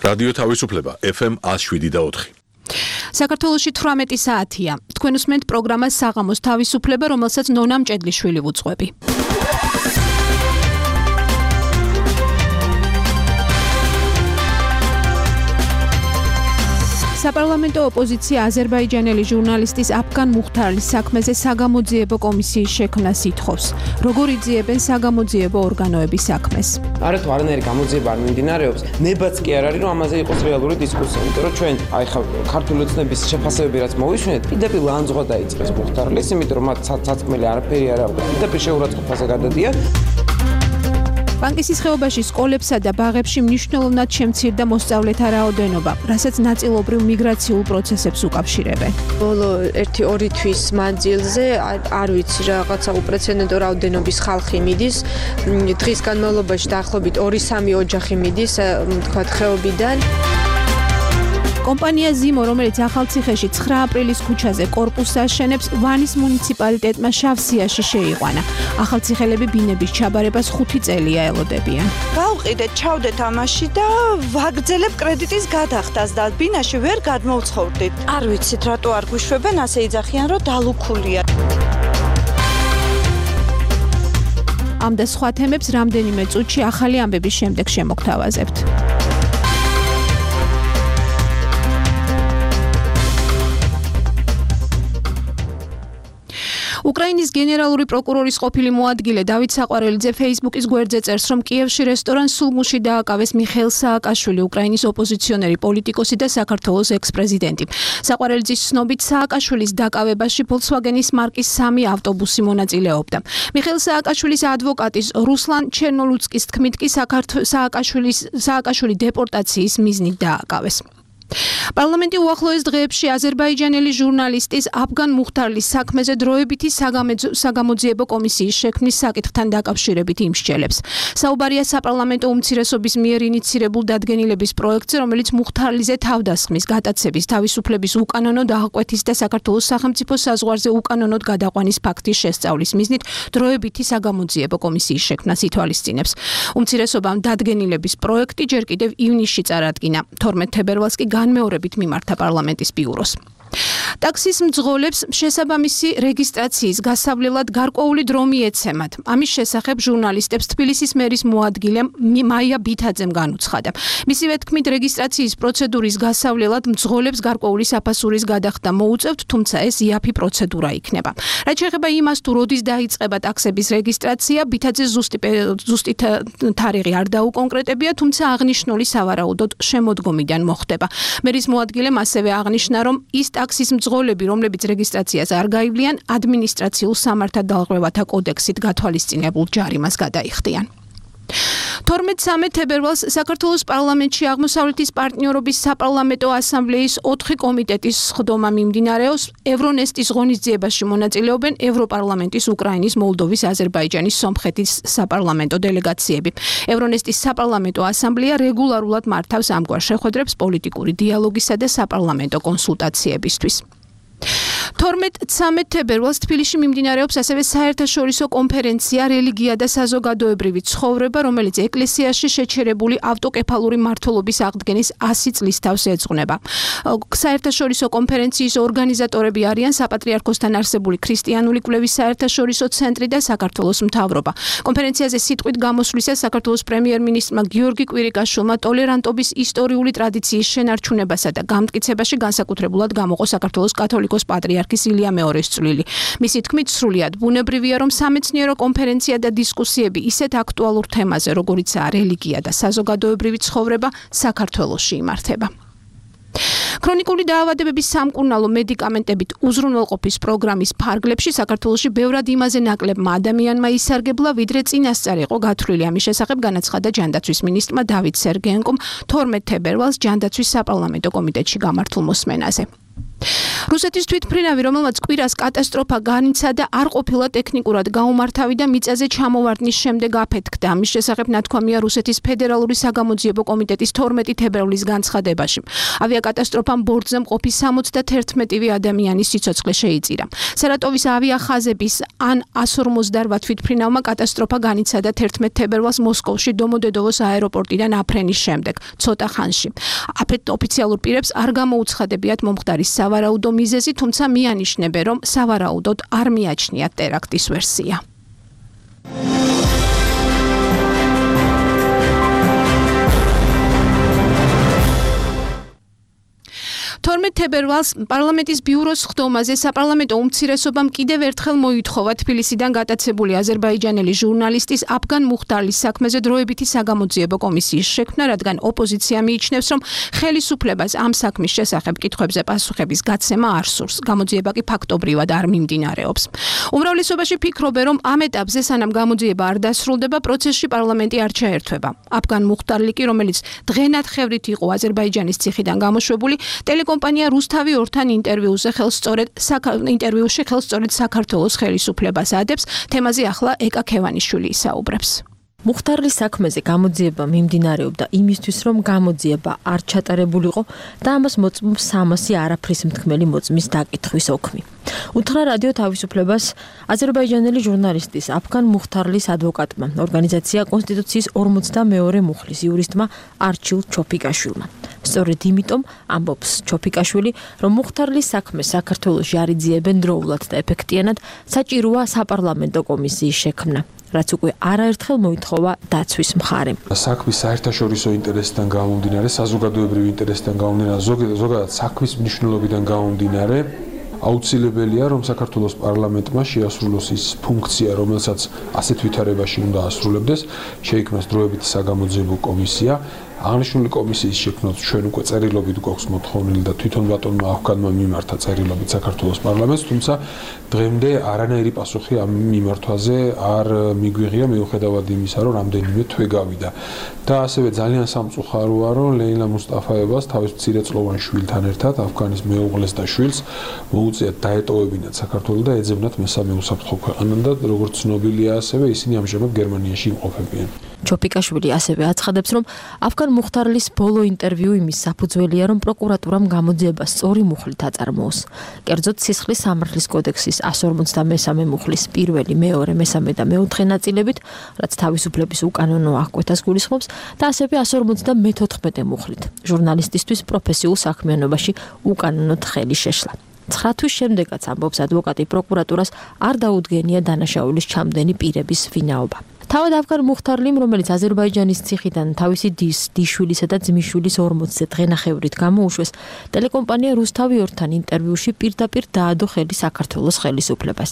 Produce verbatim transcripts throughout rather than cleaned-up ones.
რადიო თავისუფლება ეფ ემ ათს შვიდი და ოთხი. საქართველოში თვრამეტი საათია. თქვენ უსმენთ პროგრამას საღამოს თავისუფლება, რომელსაც ნონა მჭედლიშვილი ვუძღვები. საპარლამენტო ოპოზიცია აზერბაიჯანელი ჟურნალისტის აფგან მუხთარლის საქმეზე საგამოძიებო კომისიის შექმნას ითხოვს. როგორ იძიებენ საგამოძიებო ორგანოების საქმეს? არათუ არანაირი გამოძიება არ მიმდინარეობს, ნებაც კი არ არის, რომ ამაზე იყოს რეალური დისკუსია, იმიტომ რომ ჩვენ აი ხა ქართული ოცნების შეფასებები რაც მოვისმენთ, პირდაპირ ლანძღვა დაიწყეს მუხთარლის, იმიტომ რომ მათ საწმელი არაფერი არ აქვს, პირდაპირ შეურაცხყოფაზე გადადიან. ბანკისის ხეობაში სკოლებსა და ბაღებში მნიშვნელოვნად შემცირდა მოსწავლეთა რაოდენობა, რასაც ნაწილობრივ მიგრაციულ პროცესებს უკავშირებენ. ბოლო ერთი-ორი თვის მანძილზე არ ვიცი რაღაცა უპრეცედენტო რაოდენობის ხალხი მიდის. დღის განმავლობაში დაახლოებით ორი-სამი ოჯახი მიდის, თქვათ, ხეობიდან. კომპანია ზიმო, რომელიც ახალციხეში ცხრა აპრილის ქუჩაზე კორპუსს აშენებს, ვანის მუნიციპალიტეტმა შავსიაში შეიყვანა. ახალციხელები ბინების ჩაბარებას ხუთი წელია ელოდებიან. გავყიდეთ, ჩავდეთ ამაში და ვაგრძელებ კრედიტის გადახდას და ბინაში ვერ გადმოვცხოვრდით. არ ვიცით, რატო არ გვიშვებენ, ასე იძახიან, რომ დალუქულია. ამ და სხვა თემებს რამდენიმე წუთში ახალი ამბების შემდეგ შემოგთავაზებთ. უკრაინის გენერალური პროკურორის ყოფილი მოადგილე დავით საყვარელიძე ფეისბუქის გვერდზე წერს, რომ კიევში რესტორან სულმუში დააკავეს მიხეილ სააკაშვილი, უკრაინის ოპოზიციონერი პოლიტიკოსი და საქართველოს ექს-პრეზიდენტი. საყვარელიძის ცნობით, სააკაშვილის დაკავებაში Volkswagen-ის მარკის სამი ავტობუსი მონაწილეობდა. მიხეილ სააკაშვილის ადვოკატის რუსლან ჩერნოლუცკის თქმით კი სააკაშვილის სააკაშვილი დეპორტაციის მიზნით დააკავეს. პარლამენტი უახლოეს დღეებში აზერბაიჯანელი ჟურნალისტის აფგან მუხთარლის საქმეზე დროებითი საგამოძიებო კომისიის შექმნის საკითხთან დაკავშირებით იმსჯელებს. საუბარია საპარლამენტო უმცირესობის მიერ ინიცირებულ დადგენილების პროექტზე, რომელიც მუხთარლიზე თავდასხმის, გატაცების, თავისუფლების უკანონო დაღკვეთის და საქართველოს სახელმწიფო საზღვარზე უკანონოდ გადაყვანის ფაქტის შესწავლის მიზნით დროებითი საგამოძიებო კომისიის შექმნას ითვალისწინებს. უმცირესობამ დადგენილების პროექტი ჯერ კიდევ ივნისში წარადგინა. თორმეტ თებერვალს კი განმეორებით მიმართა პარლამენტის ბიუროს. ტაქსის მძღოლებს შესაბამისი რეგისტრაციის გასავლელად გარკვეული დრო მიეცემათ. ამის შესახებ ჟურნალისტებს თბილისის მერის მოადგილე მაია ბითაძემ განუცხადა. მისივე თქმით, რეგისტრაციის პროცედურის გასავლელად მძღოლებს გარკვეული საფასურის გადახდა მოუწევთ, თუმცა ეს იაფი პროცედურა იქნება. რაც შეეხება იმას, თუ როდის დაიწყება ტაქსების რეგისტრაცია, ბითაძე ზუსტი ზუსტი თარიღი არ დაუკონკრეტებია, თუმცა აღნიშნული სავარაუდოდ შემოდგომიდან მოხდება. მერის მოადგილემ ასევე აღნიშნა, რომ ის ტაქსის მძღოლები, რომლებიც რეგისტრაციას არ გაივლიან, ადმინისტრაციულ სამართალდაღწევათა კოდექსით გათვალისწინებულ ჯარიმას გადაიხდიან. თორმეტ-სამე თებერვალს საქართველოს პარლამენტში აღმოსავლეთის პარტნიორობის საპარლამენტო ასამბლეის ოთხი კომიტეტის სხდომა მიმდინარეობს. ევრონესტის ღონისძიებაში მონაწილეობენ ევროპარლამენტის, უკრაინის, მოლდოვის, აზერბაიჯანის, სომხეთის საპარლამენტო დელეგაციები. ევრონესტის საპარლამენტო ასამბლეა რეგულარულად მართავს ამგვარ შეხვედრებს პოლიტიკური დიალოგისა და საპარლამენტო კონსულტაციებისთვის. თორმეტ-ცამეტ თებერვალს თბილისში მიმდინარეობს ასევე საერთაშორისო კონფერენცია რელიგია და საზოგადოებრივი ცხოვრება, რომელიც ეკლესიაში შეჩერებული ავტოკეფალური მმართველობის აღდგენის ასი წლის თავს ეძღვნება. საერთაშორისო კონფერენციის ორგანიზატორები არიან საპატრიარქოსთან არსებული ქრისტიანული კვლევის საერთაშორისო ცენტრი და საქართველოს მთავრობა. კონფერენციაზე სიტყვით გამოსვლისას საქართველოს პრემიერ-მინისტრმა გიორგი კვირიკაშვილმა ტოლერანტობის ისტორიული ტრადიციის შენარჩუნებასა და გამტკიცებაში განსაკუთრებულად გამოყო საქართველოს კათოლიკოს პატრიარქის ილია მეორის წვლილი. მისი თქმით, სრულიად ბუნებრივია, რომ სამეცნიერო კონფერენცია და დისკუსიები ისეთ აქტუალურ თემაზე, როგორიცაა რელიგია და საზოგადოებრივი ცხოვრება, საქართველოში იმართება. ქრონიკული დაავადებების სამკურნალო მედიკამენტებით უზრუნველყოფის პროგრამის ფარგლებში საქართველოში ბევრად იმაზე ნაკლებმა ადამიანმა ისარგებლა, ვიდრე წინასწარ იყო გათვლილი. ამის შესახებ განაცხადა ჯანდაცვის მინისტრმა დავით სერგეენკომ თორმეტ თებერვალს ჯანდაცვის საპარლამენტო კომიტეტში გამართულ მოსმენაზე. რუსეთის თვითმფრინავი, რომელმაც კვირას კატასტროფა განიცადა, არ ყოფილა ტექნიკურად გაუმართავი და მიწაზე ჩამოვარდნის შემდეგ აფეთქდა. ამის შესახებ ნათქვამია რუსეთის ფედერალური საგამოძიებო კომიტეტის თორმეტი თებერვლის განცხადებაში. ავიაკატასტროფამ ბორტზე მყოფი სამოცდაათი ადამიანის სიცოცხლე შეიწირა. სარატოვის ავიახაზების ან ას ორმოცდაოთხ თვითმფრინავმა კატასტროფა განიცადა თერთმეტ თებერვალს მოსკოვში დომოდედოვოს აეროპორტიდან აფრენის შემდეგ, ცოტა ხანში. აფეთ ოფიციალურ პირებს არ გამოუცხადებიათ მომხდარის სავარაუდო მიზეზი, თუმცა მიანიშნებენ, რომ სავარაუდოდ არ მიაჩნიათ ტერაქტის ვერსია. თორმეტ თებერვალს პარლამენტის ბიუროს ხდომაზე საპარლამენტო უმცირესობამ კიდევ ერთხელ მოითხოვა თბილისიდან გატაცებული აზერბაიჯანელი ჟურნალისტის აფგან მუხტარლის საქმეზე დროებითი საგამოძიებო კომისიის შექმნა, რადგან ოპოზიცია მიიჩნევს, რომ ხელისუფლებას ამ საქმის შესახებ კითხვებზე პასუხების გაცემა არ სურს. გამოძიება კი ფაქტობრივად არ მიმდინარეობს. უმრავლესობაში ფიქრობენ, რომ ამ ეტაპზე, სანამ გამოძიება არ დასრულდება, პროცესში პარლამენტი არ ჩაერთვება. აფგან მუხტარლი კი, რომელიც დღენათხევრით იყო აზერბაიჯანის ციხიდან გამოშვებული, კომპანია რუსთავი ორთან ინტერვიუზე ხელსწორედ ინტერვიუში ხელსწორედ საქართველოს ხელისუფლებას ადებს. თემაზე ახლა ეკა ქევანიშვილი ისაუბრებს. მუხტარლის საქმეზე გამოძიება მიმდინარეობდა იმისთვის, რომ გამოძიება არ ჩატარებულიყო და ამას მოწმობს სამასი არაფრის მთქმელი მოწმის დაკითხვის ოქმი. უთხრა რადიო თავისუფლებას აზერბაიჯანელი ჟურნალისტის აფგან მუხტარლის ადვოკატმა, ორგანიზაცია კონსტიტუციის ორმოცდამეორე მუხლის იურისტმა არჩილ ჩოფიკაშვილმა. სწორედ იმიტომ ამბობს ჩოფიკაშვილი, რომ მუხტარლის საქმეს საქართველოში არ იძიებენ დროულად და ეფექტიანად, საჭიროა საპარლამენტო კომისიის შექმნა, რაც უკვე არაერთხელ მოითხოვა დაცვის მხარემ. საქმის საერთაშორისო ინტერესიდან გამომდინარე, საზოგადოებრივი ინტერესიდან გამომდინარე, ზოგადად საქმის მნიშვნელობიდან გამომდინარე, აუცილებელია, რომ საქართველოს პარლამენტმა შეასრულოს ის ფუნქცია, რომელსაც ასეთ ვითარებაში უნდა ასრულებდეს, შეიქმნას დროებითი საგამოძიებო კომისია. აღნიშნული კომისიის შექმნას ჩვენ უკვე წერილობით გვაქვს მოთხოვნილი და თვითონ ბატონმა აფგანმა მიმართა წერილობით საქართველოს პარლამენტს, თუმცა დღემდე არანაირი პასუხი ამ მიმართვაზე არ მიგვიღია, მიუხედავად იმისა, რომ რამდენიმე თვე გავიდა. და ასევე ძალიან სამწუხაროა, რომ ლეილა მუსტაფაევას თავის მცირეწლოვან შვილთან ერთად აფგანის მეუღლეს და შვილს მოუწიათ დაეტოვებინათ საქართველო და ეძებნათ მესამე უსაფრთხო ქვეყანად და როგორც ცნობილია, ასევე ისინი ამჟამად გერმანიაში იმყოფებიან. ჩოფიკაშვილი ასევე აცხადებს, რომ აფგან მუხტარლის ბოლო ინტერვიუ იმის საფუძველია, რომ პროკურატურამ გამოძიება სწორი მუხლით აწარმოოს. კერძოდ სისხლის სამართლის კოდექსის ას ორმოცდამესამე მუხლის პირველი, მეორე, მესამე და მეოთხე ნაწილებით, რაც თავისუფლების უკანონო აღკვეთას გულისხმობს, და ასევე ას ორმოცდამეთოთხმეტე მუხლით, ჟურნალისტისთვის პროფესიულ საქმიანობაში უკანონოდ ხელი შეშლა. ცხრა თვის შემდეგაც ამბობს ადვოკატი, პროკურატურას არ დაუდგენია დანაშაულის ჩამდენი პირების ვინაობა. თავად აფგან მუხტარლიმ, რომელიც აზერბაიჯანის ციხიდან თავისი დის, დიშვილისა და ძმისშვილის ორმოცზე დღენახევრით გამოუშვეს, ტელეკომპანია რუსთავი ორთან ინტერვიუში პირდაპირ დაადო ხელი საქართველოს ხელისუფლებას.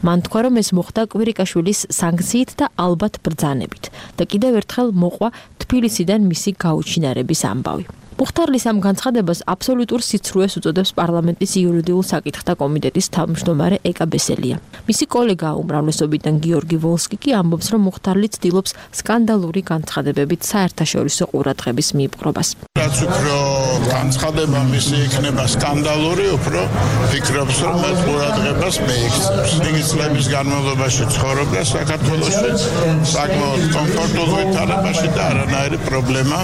მან თქვა, რომ ეს მოხდა კვირიკაშვილის სანქციით და ალბათ ბრძანებით და კიდევ ერთხელ მოყვა თბილისიდან მისი გაუჩინარების ამბავი. მუხტარლის ამ განცხადებას აბსოლუტურ სიცრუეს უწოდებს პარლამენტის იურიდიულ საკითხთა კომიტეტის თავმჯდომარე ეკა ბესელია. მისი კოლეგა უმრავლესობიდან გიორგი ვოლსკი კი ამბობს, რომ მუხტარლი ცდილობს სკანდალური განცხადებებით საერთაშორისო ყურადღების მიიპყრობას. რაც უფრო განცხადება მისი იქნება სკანდალური, უფრო ფიქრობს, რომ ეს ყურადღებას მეიქცევს. იგი წლების განმავლობაში ცხოვრობდა საქართველოში, საკმაოდ კომფორტულ ვითარებაში და არანაირი პრობლემა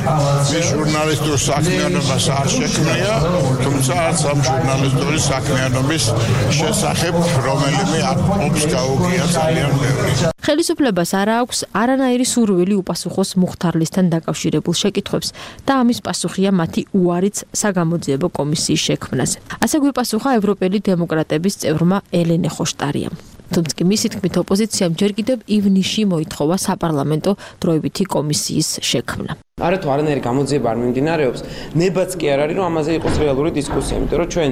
მის ჟურნალისტურ საქმიანობას არ შექმნია, თუმცა არც ამ ჟურნალისტური საქმიანობის შესახებ რომელიმე ოპს გაუგია ძალიან ბევრი. ხელისუფლებას არ აქვს არანაირი სურვილი უპასუხოს მუხტარლისთან დაკავშირებულ შეკითხვებს და ამის პასუხია მათი უარიც საგამოძიებო კომისიის შექმნაზე. ასე გვიპასუხა ევროპელი დემოკრატების წევრმა ელენე ხოშტარიამ. თუმცა მისი თქმით ოპოზიციამ ჯერ კიდევ ივნისში მოითხოვა საპარლამენტო დროებითი კომისიის შექმნა. არათუ არანაირი გამოძიება არ მიმდინარეობს, ნებაც კი არ არის, რომ ამაზე იყოს რეალური დისკუსია, იმიტომ რომ ჩვენ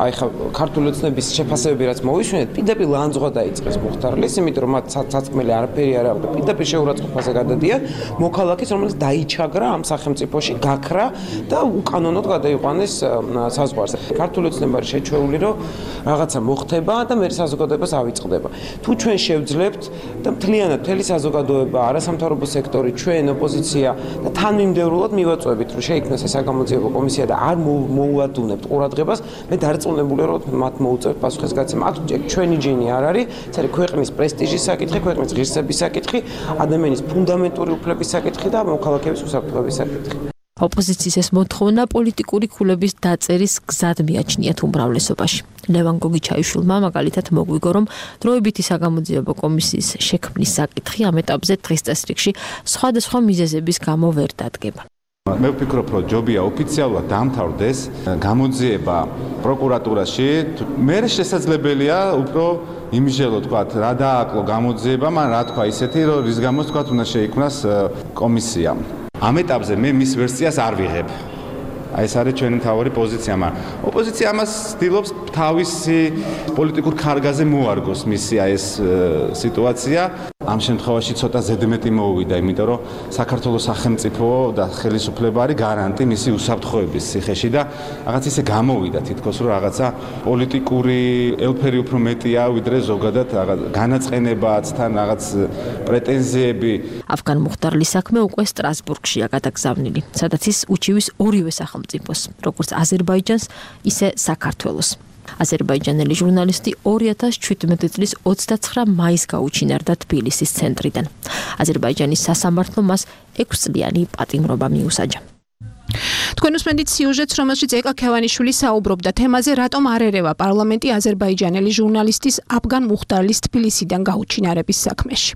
აი ხა ქართული ოცნების შეფასებები რაც მოვისვენეთ, პირდაპირ ლანძღვა დაიწყეს მუხტარლის, იმიტომ რომ მათ საწმელი არაფერი არ აქვს და პირდაპირ შეურაცხყოფაზე გადადიან მოქალაქის, რომელიც დაიჩაგრა ამ სახელმწიფოში, გაქრა და უკანონოდ გადაიყვანეს საზღვარზე. ქართული ოცნება არის შეჩვეული, რომ რაღაცა მოხდება და მე საზოგადოებას ავიწყდება. თუ ჩვენ შევძლებთ და მთლიანად მთელი საზოგადოება, არასამთავრობო სექტორი, ჩვენ ოპოზიცია და თანმიმდევრულად მივაწვევით, რომ შეიქმნას ეს საგამოძიებო კომისია და არ მოუადუნებთ ყურადღებას, მე დარწმუნებული ვარ, რომ მათ მოუწევთ პასუხისგაცემა. აქ ჩვენი ჯინი არ არის, ეს არის ქვეყნის პრესტიჟის საკითხი, ქვეყნის ღირსების საკითხი, ადამიანის ფუნდამენტური უფლების საკითხი და მოქალაქეების უსაფრთხოების საკითხი. ოპოზიციის ეს მოთხოვნა პოლიტიკური ქულების დაწერის გზად მიაჩნიათ უმრავლესობაში. ლევან გოგიჩაიშვილმა მაგალითად მოგვიგო, რომ დროებითი საგამოძიებო კომისიის შექმნის საკითხი ამ ეტაპზე დღის წესრიგში სხვადასხვა მიზეზების გამო ვერ დადგება. მე ვფიქრობ, რომ ჯობია ოფიციალურად დამთავრდეს გამოძიება პროკურატურაში. მე შესაძლებელია უფრო იმჟელო თქვა რა დააკლო გამოძიება, მაგრამ რა თქვა ისეთი, რომ რის გამოც თქვა უნდა შეიქმნას კომისია. ამ ეტაპზე მე მის ვერსიას არ ვიღებ. აი ეს არის ჩვენი მთავარი პოზიცია, მაგრამ ოპოზიცია ამას ცდილობს თავისი პოლიტიკურ ქარგაზე მოარგოს მისი აი ეს სიტუაცია. ამ შემთხვევაში ცოტა ზედმეტი მოუვიდა, იმიტომ რომ საქართველოს სახელმწიფო და ხელისუფლება არის გარანტი მისი უსაფრთხოების ციხეში და რაღაც ისე გამოვიდა თითქოს რომ რაღაცა პოლიტიკური ელფერი უფრო მეტია ვიდრე ზოგადად რაღაც განაწყენებაც თან რაღაც პრეტენზიები. Afgan Mukhtarlis საქმე უკვე სტრასბურგშია გადაგზავნილი, სადაც ის უჩივის ორივე სახელმწიფოს, როგორც აზერბაიჯანს, ისე საქართველოს. აზერბაიჯანელი ჟურნალისტი ორი ათას შვიდმეტი წლის ოცდაცხრა მაისს გაუჩინარდა თბილისის ცენტრიდან. აზერბაიჯანის სასამართლომ მას ექვსწლიანი პატიმრობა მიუსაჯა. თქვენ უსმენთ სიუჟეტს, რომელშიც ეკა ქევანიშვილი საუბრობდა თემაზე, რატომ არ ერევა პარლამენტი აზერბაიჯანელი ჟურნალისტის აფგან მუხტარლის თბილისიდან გაუჩინარების საქმეში.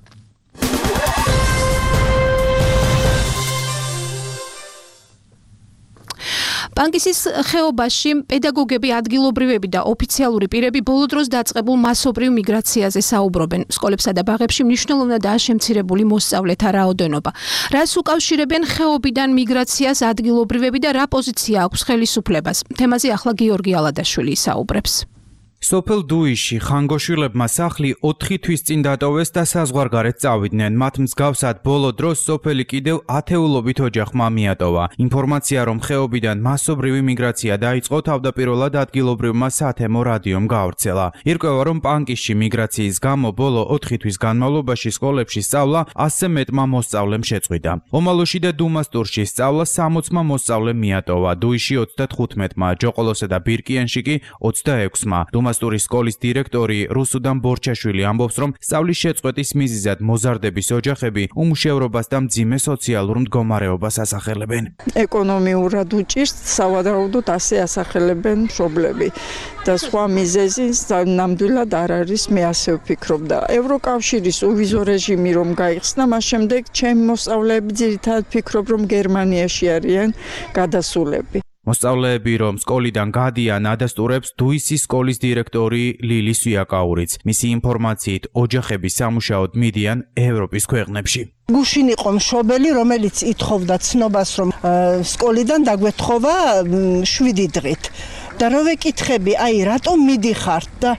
პანკისის ხეობაში პედაგოგები, ადგილობრივები და ოფიციალური პირები ბოლო დროს დაწყებულ მასობრივ მიგრაციაზე საუბრობენ. სკოლებსა და ბაღებში მნიშვნელოვნადაა შემცირებული მოსწავლეთა რაოდენობა. რას უკავშირებენ ხეობიდან მიგრაციას ადგილობრივები და რა პოზიცია აქვს ხელისუფლებას? თემაზე ახლა გიორგი ალადაშვილი საუბრებს. სოფელ დუიში ხანგოშვილებმა სახლი ოთხი თვის წინ დატოვეს და საზღვარგარეთ წავიდნენ. მათ მსგავსად ბოლო დროს სოფელი კიდევ ათეულობით ოჯახმა მიატოვა. ინფორმაცია, რომ ხეობიდან მასობრივი მიგრაცია დაიწყო, თავდაპირველად ადგილობრივმა სათემო რადიომ გაავრცელა. ირკვევა, რომ პანკისში მიგრაციის გამო ბოლო ოთხი თვის განმავლობაში სკოლებში სწავლა ასზე მეტმა მოსწავლემ შეწყვიტა. ომალოში და დუმასტურში სწავლა სამოცმა მოსწავლემ მიატოვა. დუიში ოცდათხუთმეტმა, ჯოყოლოსა და ბირკიანში კი ოცდაექვსმა. დუმასტურის სკოლის დირექტორი რუსუდან ბორჩაშვილი ამბობს, რომ სწავლის შეწყვეტის მიზეზად მოზარდების ოჯახები უმუშევრობას და მძიმე სოციალურ მდგომარეობას ასახელებენ. ეკონომიურად უჭირს, სავარაუდოდ ასე ასახელებენ მშობლები და სხვა მიზეზი ნამდვილად არ არის, მე ასე ვფიქრობ და ევროკავშირის უვიზო რეჟიმი რომ გაიხსნა, მას შემდეგ ჩემი მოსწავლეები ძირითადად ფიქრობ, რომ გერმანიაში არიან გადასულები. მოსწავლეები, რომ სკოლიდან გადიან, ადასტურებს დუისის სკოლის დირექტორი ლილი სვიაკაურიც. მისი ინფორმაციით, ოჯახები სამუშაოდ მიდიან ევროპის ქვეყნებში. გუშინ იყო მშობელი, რომელიც ითხოვდა ცნობას, რომ სკოლიდან დაგვეთხოვა შვიდი დღით. და რო ვეკითხები, აი, რატომ მიდიხართ და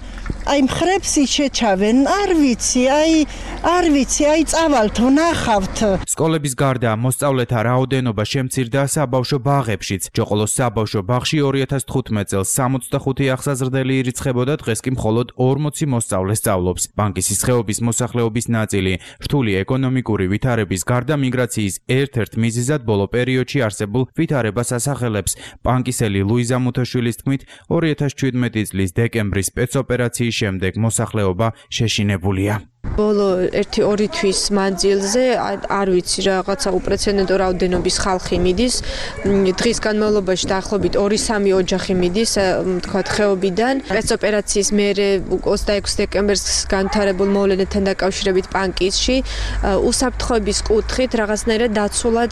აი მხრებს იჩეჩავენ, არ ვიცი, აი, არ ვიცი, აი წავალთ, ვნახავთ. სკოლების გარდა მოსწავლეთა რაოდენობა შემცირდა საბავშვო ბაღებშიც. ჯოყოლოს საბავშვო ბაღში ორი ათას თხუთმეტ წელს სამოცდახუთი აღსაზრდელი ირიცხებოდა, დღეს კი მხოლოდ ორმოცი მოსწავლე სწავლობს. პანკისის ხეობის მოსახლეობის ნაწილი რთული ეკონომიკური ვითარების გარდა მიგრაციის ერთ-ერთ მიზეზად ბოლო პერიოდში არსებულ ვითარებას ასახელებს. პანკისელი ლუიზა მუთაშვილის თქმით, ორი ათას შვიდმეტი წლის დეკემბრის სპეცოპერაციის შემდეგ მოსახლეობა შეშინებულია. ბოლო ერთი ორი თვის მანძილზე არ ვიცი რაღაცა უპრეცედენტო რაოდენობის ხალხი მიდის. დღის განმავლობაში დაახლოებით ორი სამი ოჯახი მიდის, თქვათ ხეობიდან. სპეცოპერაციის მერე ოცდაექვსი დეკემბერს განვითარებულ მოვლენებთან დაკავშირებით პანკისში უსაფრთხოების კუთხით რაღაცნაირად დაცულად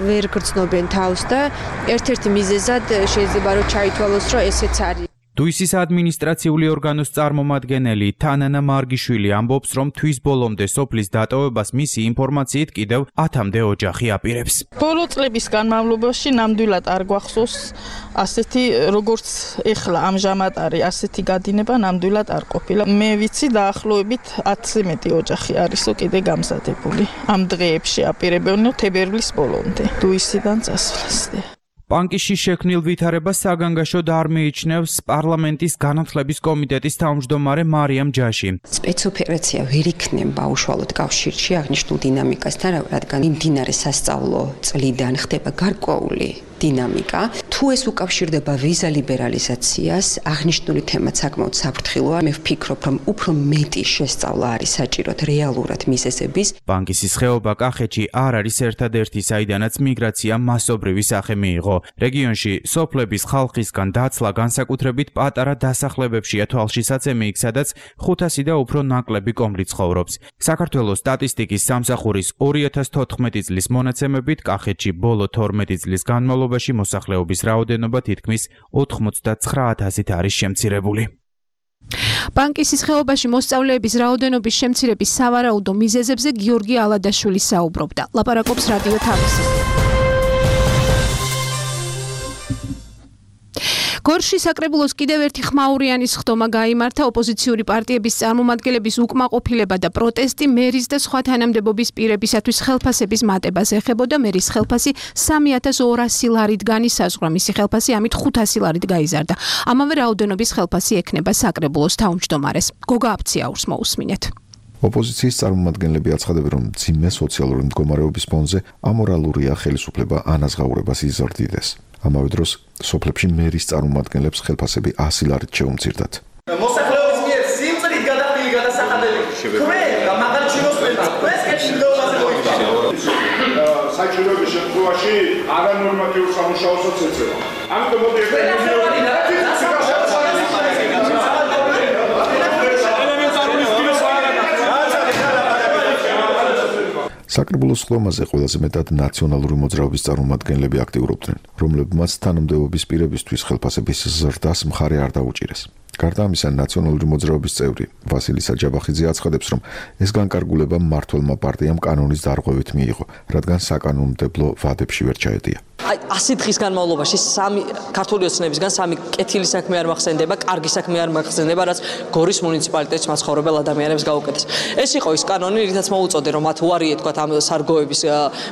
ვერ გრძნობენ თავს და ერთ-ერთი მიზეზად შეიძლება რომ ჩაითვალოს, რომ ესეც არის. დუისის ადმინისტრაციული ორგანოს წარმომადგენელი თანანა მარგიშვილი ამბობს, რომ თვის ბოლომდე სოფლის დატოვებას მისი ინფორმაციით კიდევ ათამდე ოჯახი აპირებს. ბოლო წლების განმავლობაში ნამდვილად არ გვახსოვს ასეთი, როგორც ეხლა ამჟამად არის, ასეთი გადინება ნამდვილად არ ყოფილა. მე ვიცი დაახლოებით ათზე მეტი ოჯახი არისო კიდე გამზადებული. ამ დღეებში აპირებენ თებერვლის ბოლომდე დუისიდან წასვლას. ბანკიში შექმნილ ვითარებას საგანგაშოდ არ მიიჩნევს პარლამენტის განათლების კომიტეტის თავმჯდომარე მარიამ ჯაში. სპეცოპერაცია ვერ იქნება უშუალოდ კავშირში აღნიშნულ დინამიკასთან, რადგან მიმდინარე სასწავლო წლიდან ხდება გარკვეული დინამიკა. თუ ეს უკავშირდება ვიზა ლიბერალიზაციას, აღნიშნული თემა საკმაოდ საფრთხილოა. მე ვფიქრობ, რომ უფრო მეტი შესწავლა არის საჭიროთ რეალურად მიზეზების. ბანკისის ხეობა კახეთში არ არის ერთადერთი, საიდანაც მიგრაცია მასობრივი სახე მიიღო. რეგიონში სოფლების ხალხისგან დაცლა განსაკუთრებით პატარა დასახლებებშია თვალშისაცემი იქ, სადაც ხუთასი და უფრო ნაკლები კომბლი ცხოვრობს. საქართველოს სტატისტიკის სამსახურის ორი ათას თოთხმეტი წლის მონაცემებით კახეთში ბოლო თორმეტი წლის განმავლობაში მოსახლეობის რაოდენობა თითქმის ოთხმოცდაცხრა ათასით არის შემცირებული. ბანკისის ხეობაში მოსწავლეების რაოდენობის შემცირების სავარაუდო მიზეზებზე გიორგი ალადაშვილი საუბრობდა. ლაპარაკობს რადიო თავისი. გორში საკრებულოს კიდევ ერთი ხმაურიანის ხდომა გაიმართა. ოპოზიციური პარტიების წარმომადგენლების უკმაყოფილება და პროტესტი მერის და სხვა თანამდებობის პირებისათვის ხელფასების მატებას ეხებოდა. მერის ხელფასი სამი ათას ორასი ლარით განისაზღვრა, მისი ხელფასი ამით ხუთასი ლარით გაიზარდა. ამავე რაოდენობის ხელფასი ექნება საკრებულოს თავმჯდომარეს. გოგა აფციაურს მოусმინეთ. ოპოზიციის წარმომადგენლები აცხადებენ, რომ მძიმე სოციალური მდგომარეობის ფონზე ამორალურია ხელისუფლება ანაზღაურებას იზრდიდეს. ამავე დროს სოფლებში მერის წარმომადგენლებს ხელფასები ასი ლარით შეუმცირდათ. მოსახლეობის მიერ სიმწრით გადახდილი გადასახადები. ქვენ მაგალითად ჩინოსპელს ეს კეთილდღეობაზე მოიხსნა. საჭიროების შემთხვევაში არანორმატიულ სამუშაოსაც ეწევა. ამიტომ მოდი საკრებულოს ხდომაზე ყველაზე მეტად ნაციონალური მოძრაობის წარმომადგენლები აქტიურობდნენ, რომლებმაც თანამდებობის პირებისთვის ხელფასების ზრდას მხარე არ დაუჭირეს. გარდა ამისა, ნაციონალური მოძრაობის წევრი ვასილი საჯაბახიძე აცხადებს, რომ ეს განკარგულება მმართველმა პარტიამ კანონის დარღვევით მიიღო, რადგან საკანონმდებლო ვადებში ვერ ჩაედია. აი ასი დღის განმავლობაში სამი ქართული ოცნებისგან სამი კეთილი საქმე არ მახსენდება, კარგი საქმე არ მახსენდება, რაც გორის მუნიციპალიტეტში მაცხოვრებელ ადამიანებს გაუკეთეს. ეს იყო ის კანონი, რითაც მოუწოდე, რომ მათ უარი ეთქვათ ამ სარგოების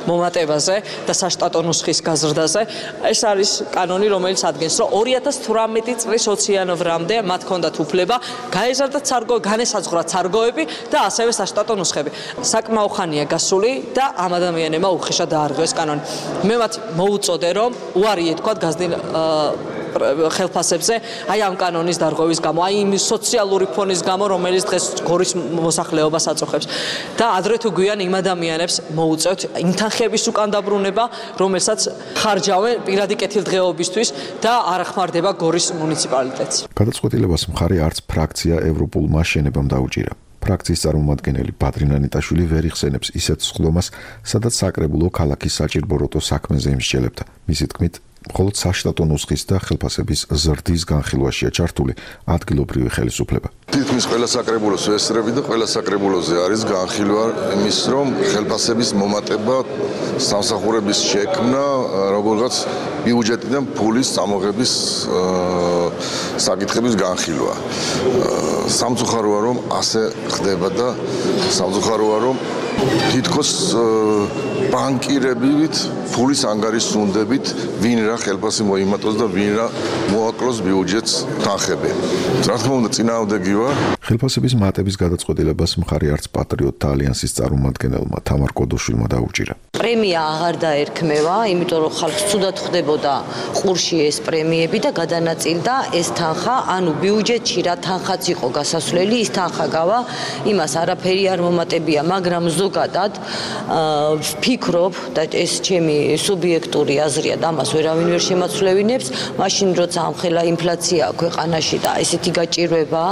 მომატებაზე და საშტატო ნუსხის გაზრდაზე. ეს არის კანონი, რომელიც ადგენს, რომ ორი ათას თვრამეტი წლის ოციანოვრამდე მათ ჰქონდათ უფლება გაეზარდათ სარგო, განესაზღვრათ სარგოები და ასევე საშტატო ნუსხები. საკმაო ხანია გასული და ამ ადამიანებმა უხეშად დაარღვია ეს კანონი. მე მათ მოუწოდე, რომ უარი ეთქვათ გაზრდილ ხელფასებზე, აი ამ კანონის დარღვევის გამო, აი იმ სოციალური ფონის გამო, რომელიც დღეს გორის მოსახლეობას აწუხებს. და ადრე თუ გვიან იმ ადამიანებს მოუწევთ იმ თანხების უკან დაბრუნება, რომელსაც ხარჯავენ პირადი კეთილდღეობისთვის და არ ახმარდება გორის მუნიციპალიტეტს. გადაწყვეტილებას მხარი არც ფრაქცია ევროპულმა შენებამ დაუჭირა. ფრაქციის წარმომადგენელი ბადრინა ნიტაშვილი ვერ იხსენებს ისეთ სხდომას, სადაც საკრებულო ქალაქის საჭირბოროტო საქმეზე იმსჯელებდა. მისი თქმით, მხოლოდ საშტატო ნუსხის და ხელფასების ზრდის განხილვაშია ჩართული ადგილობრივი ხელისუფლება. თითქმის ყველა საკრებულოს ვესწრები და ყველა საკრებულოზე არის განხილვა იმის, რომ ხელფასების მომატება, სამსახურების შექმნა, როგორღაც ბიუჯეტიდან ფულის წამოღების საკითხების განხილვა. სამწუხაროა, რომ ასე ხდება და სამწუხაროა, რომ თითქოს ბანკირებით, ფულის ანგარიშუნდებით, ვინ რა ხელფასი მოიმატოს და ვინ რა მოაკლოს ბიუჯეტს თანხები. რა თქმა უნდა, წინააღმდეგი ვარ. ხელფასების მატების გადაწყვეტილებას მხარი არც პატრიოტთა ალიანსის წარმომადგენელმა თამარ კოდოშვილმა დაუჭირა. პრემია აღარ დაერქმევა, იმიტომ რომ ხალხს ცუდად ხდებოდა ყურში ეს პრემიები და გადანაწილდა ეს თანხა, ანუ ბიუჯეტში რა თანხაც იყო გასასვლელი, ის თანხა გავა, იმას არაფერი არ მომატებია, მაგრამ ზოგადად ვფიქრობ და ეს ჩემი სუბიექტური აზრია და ამას ვერავინ ვერ შემაცვლევინებს, მაშინ როცა ამხელა ინფლაცია ქვეყანაში და ესეთი გაჭირვება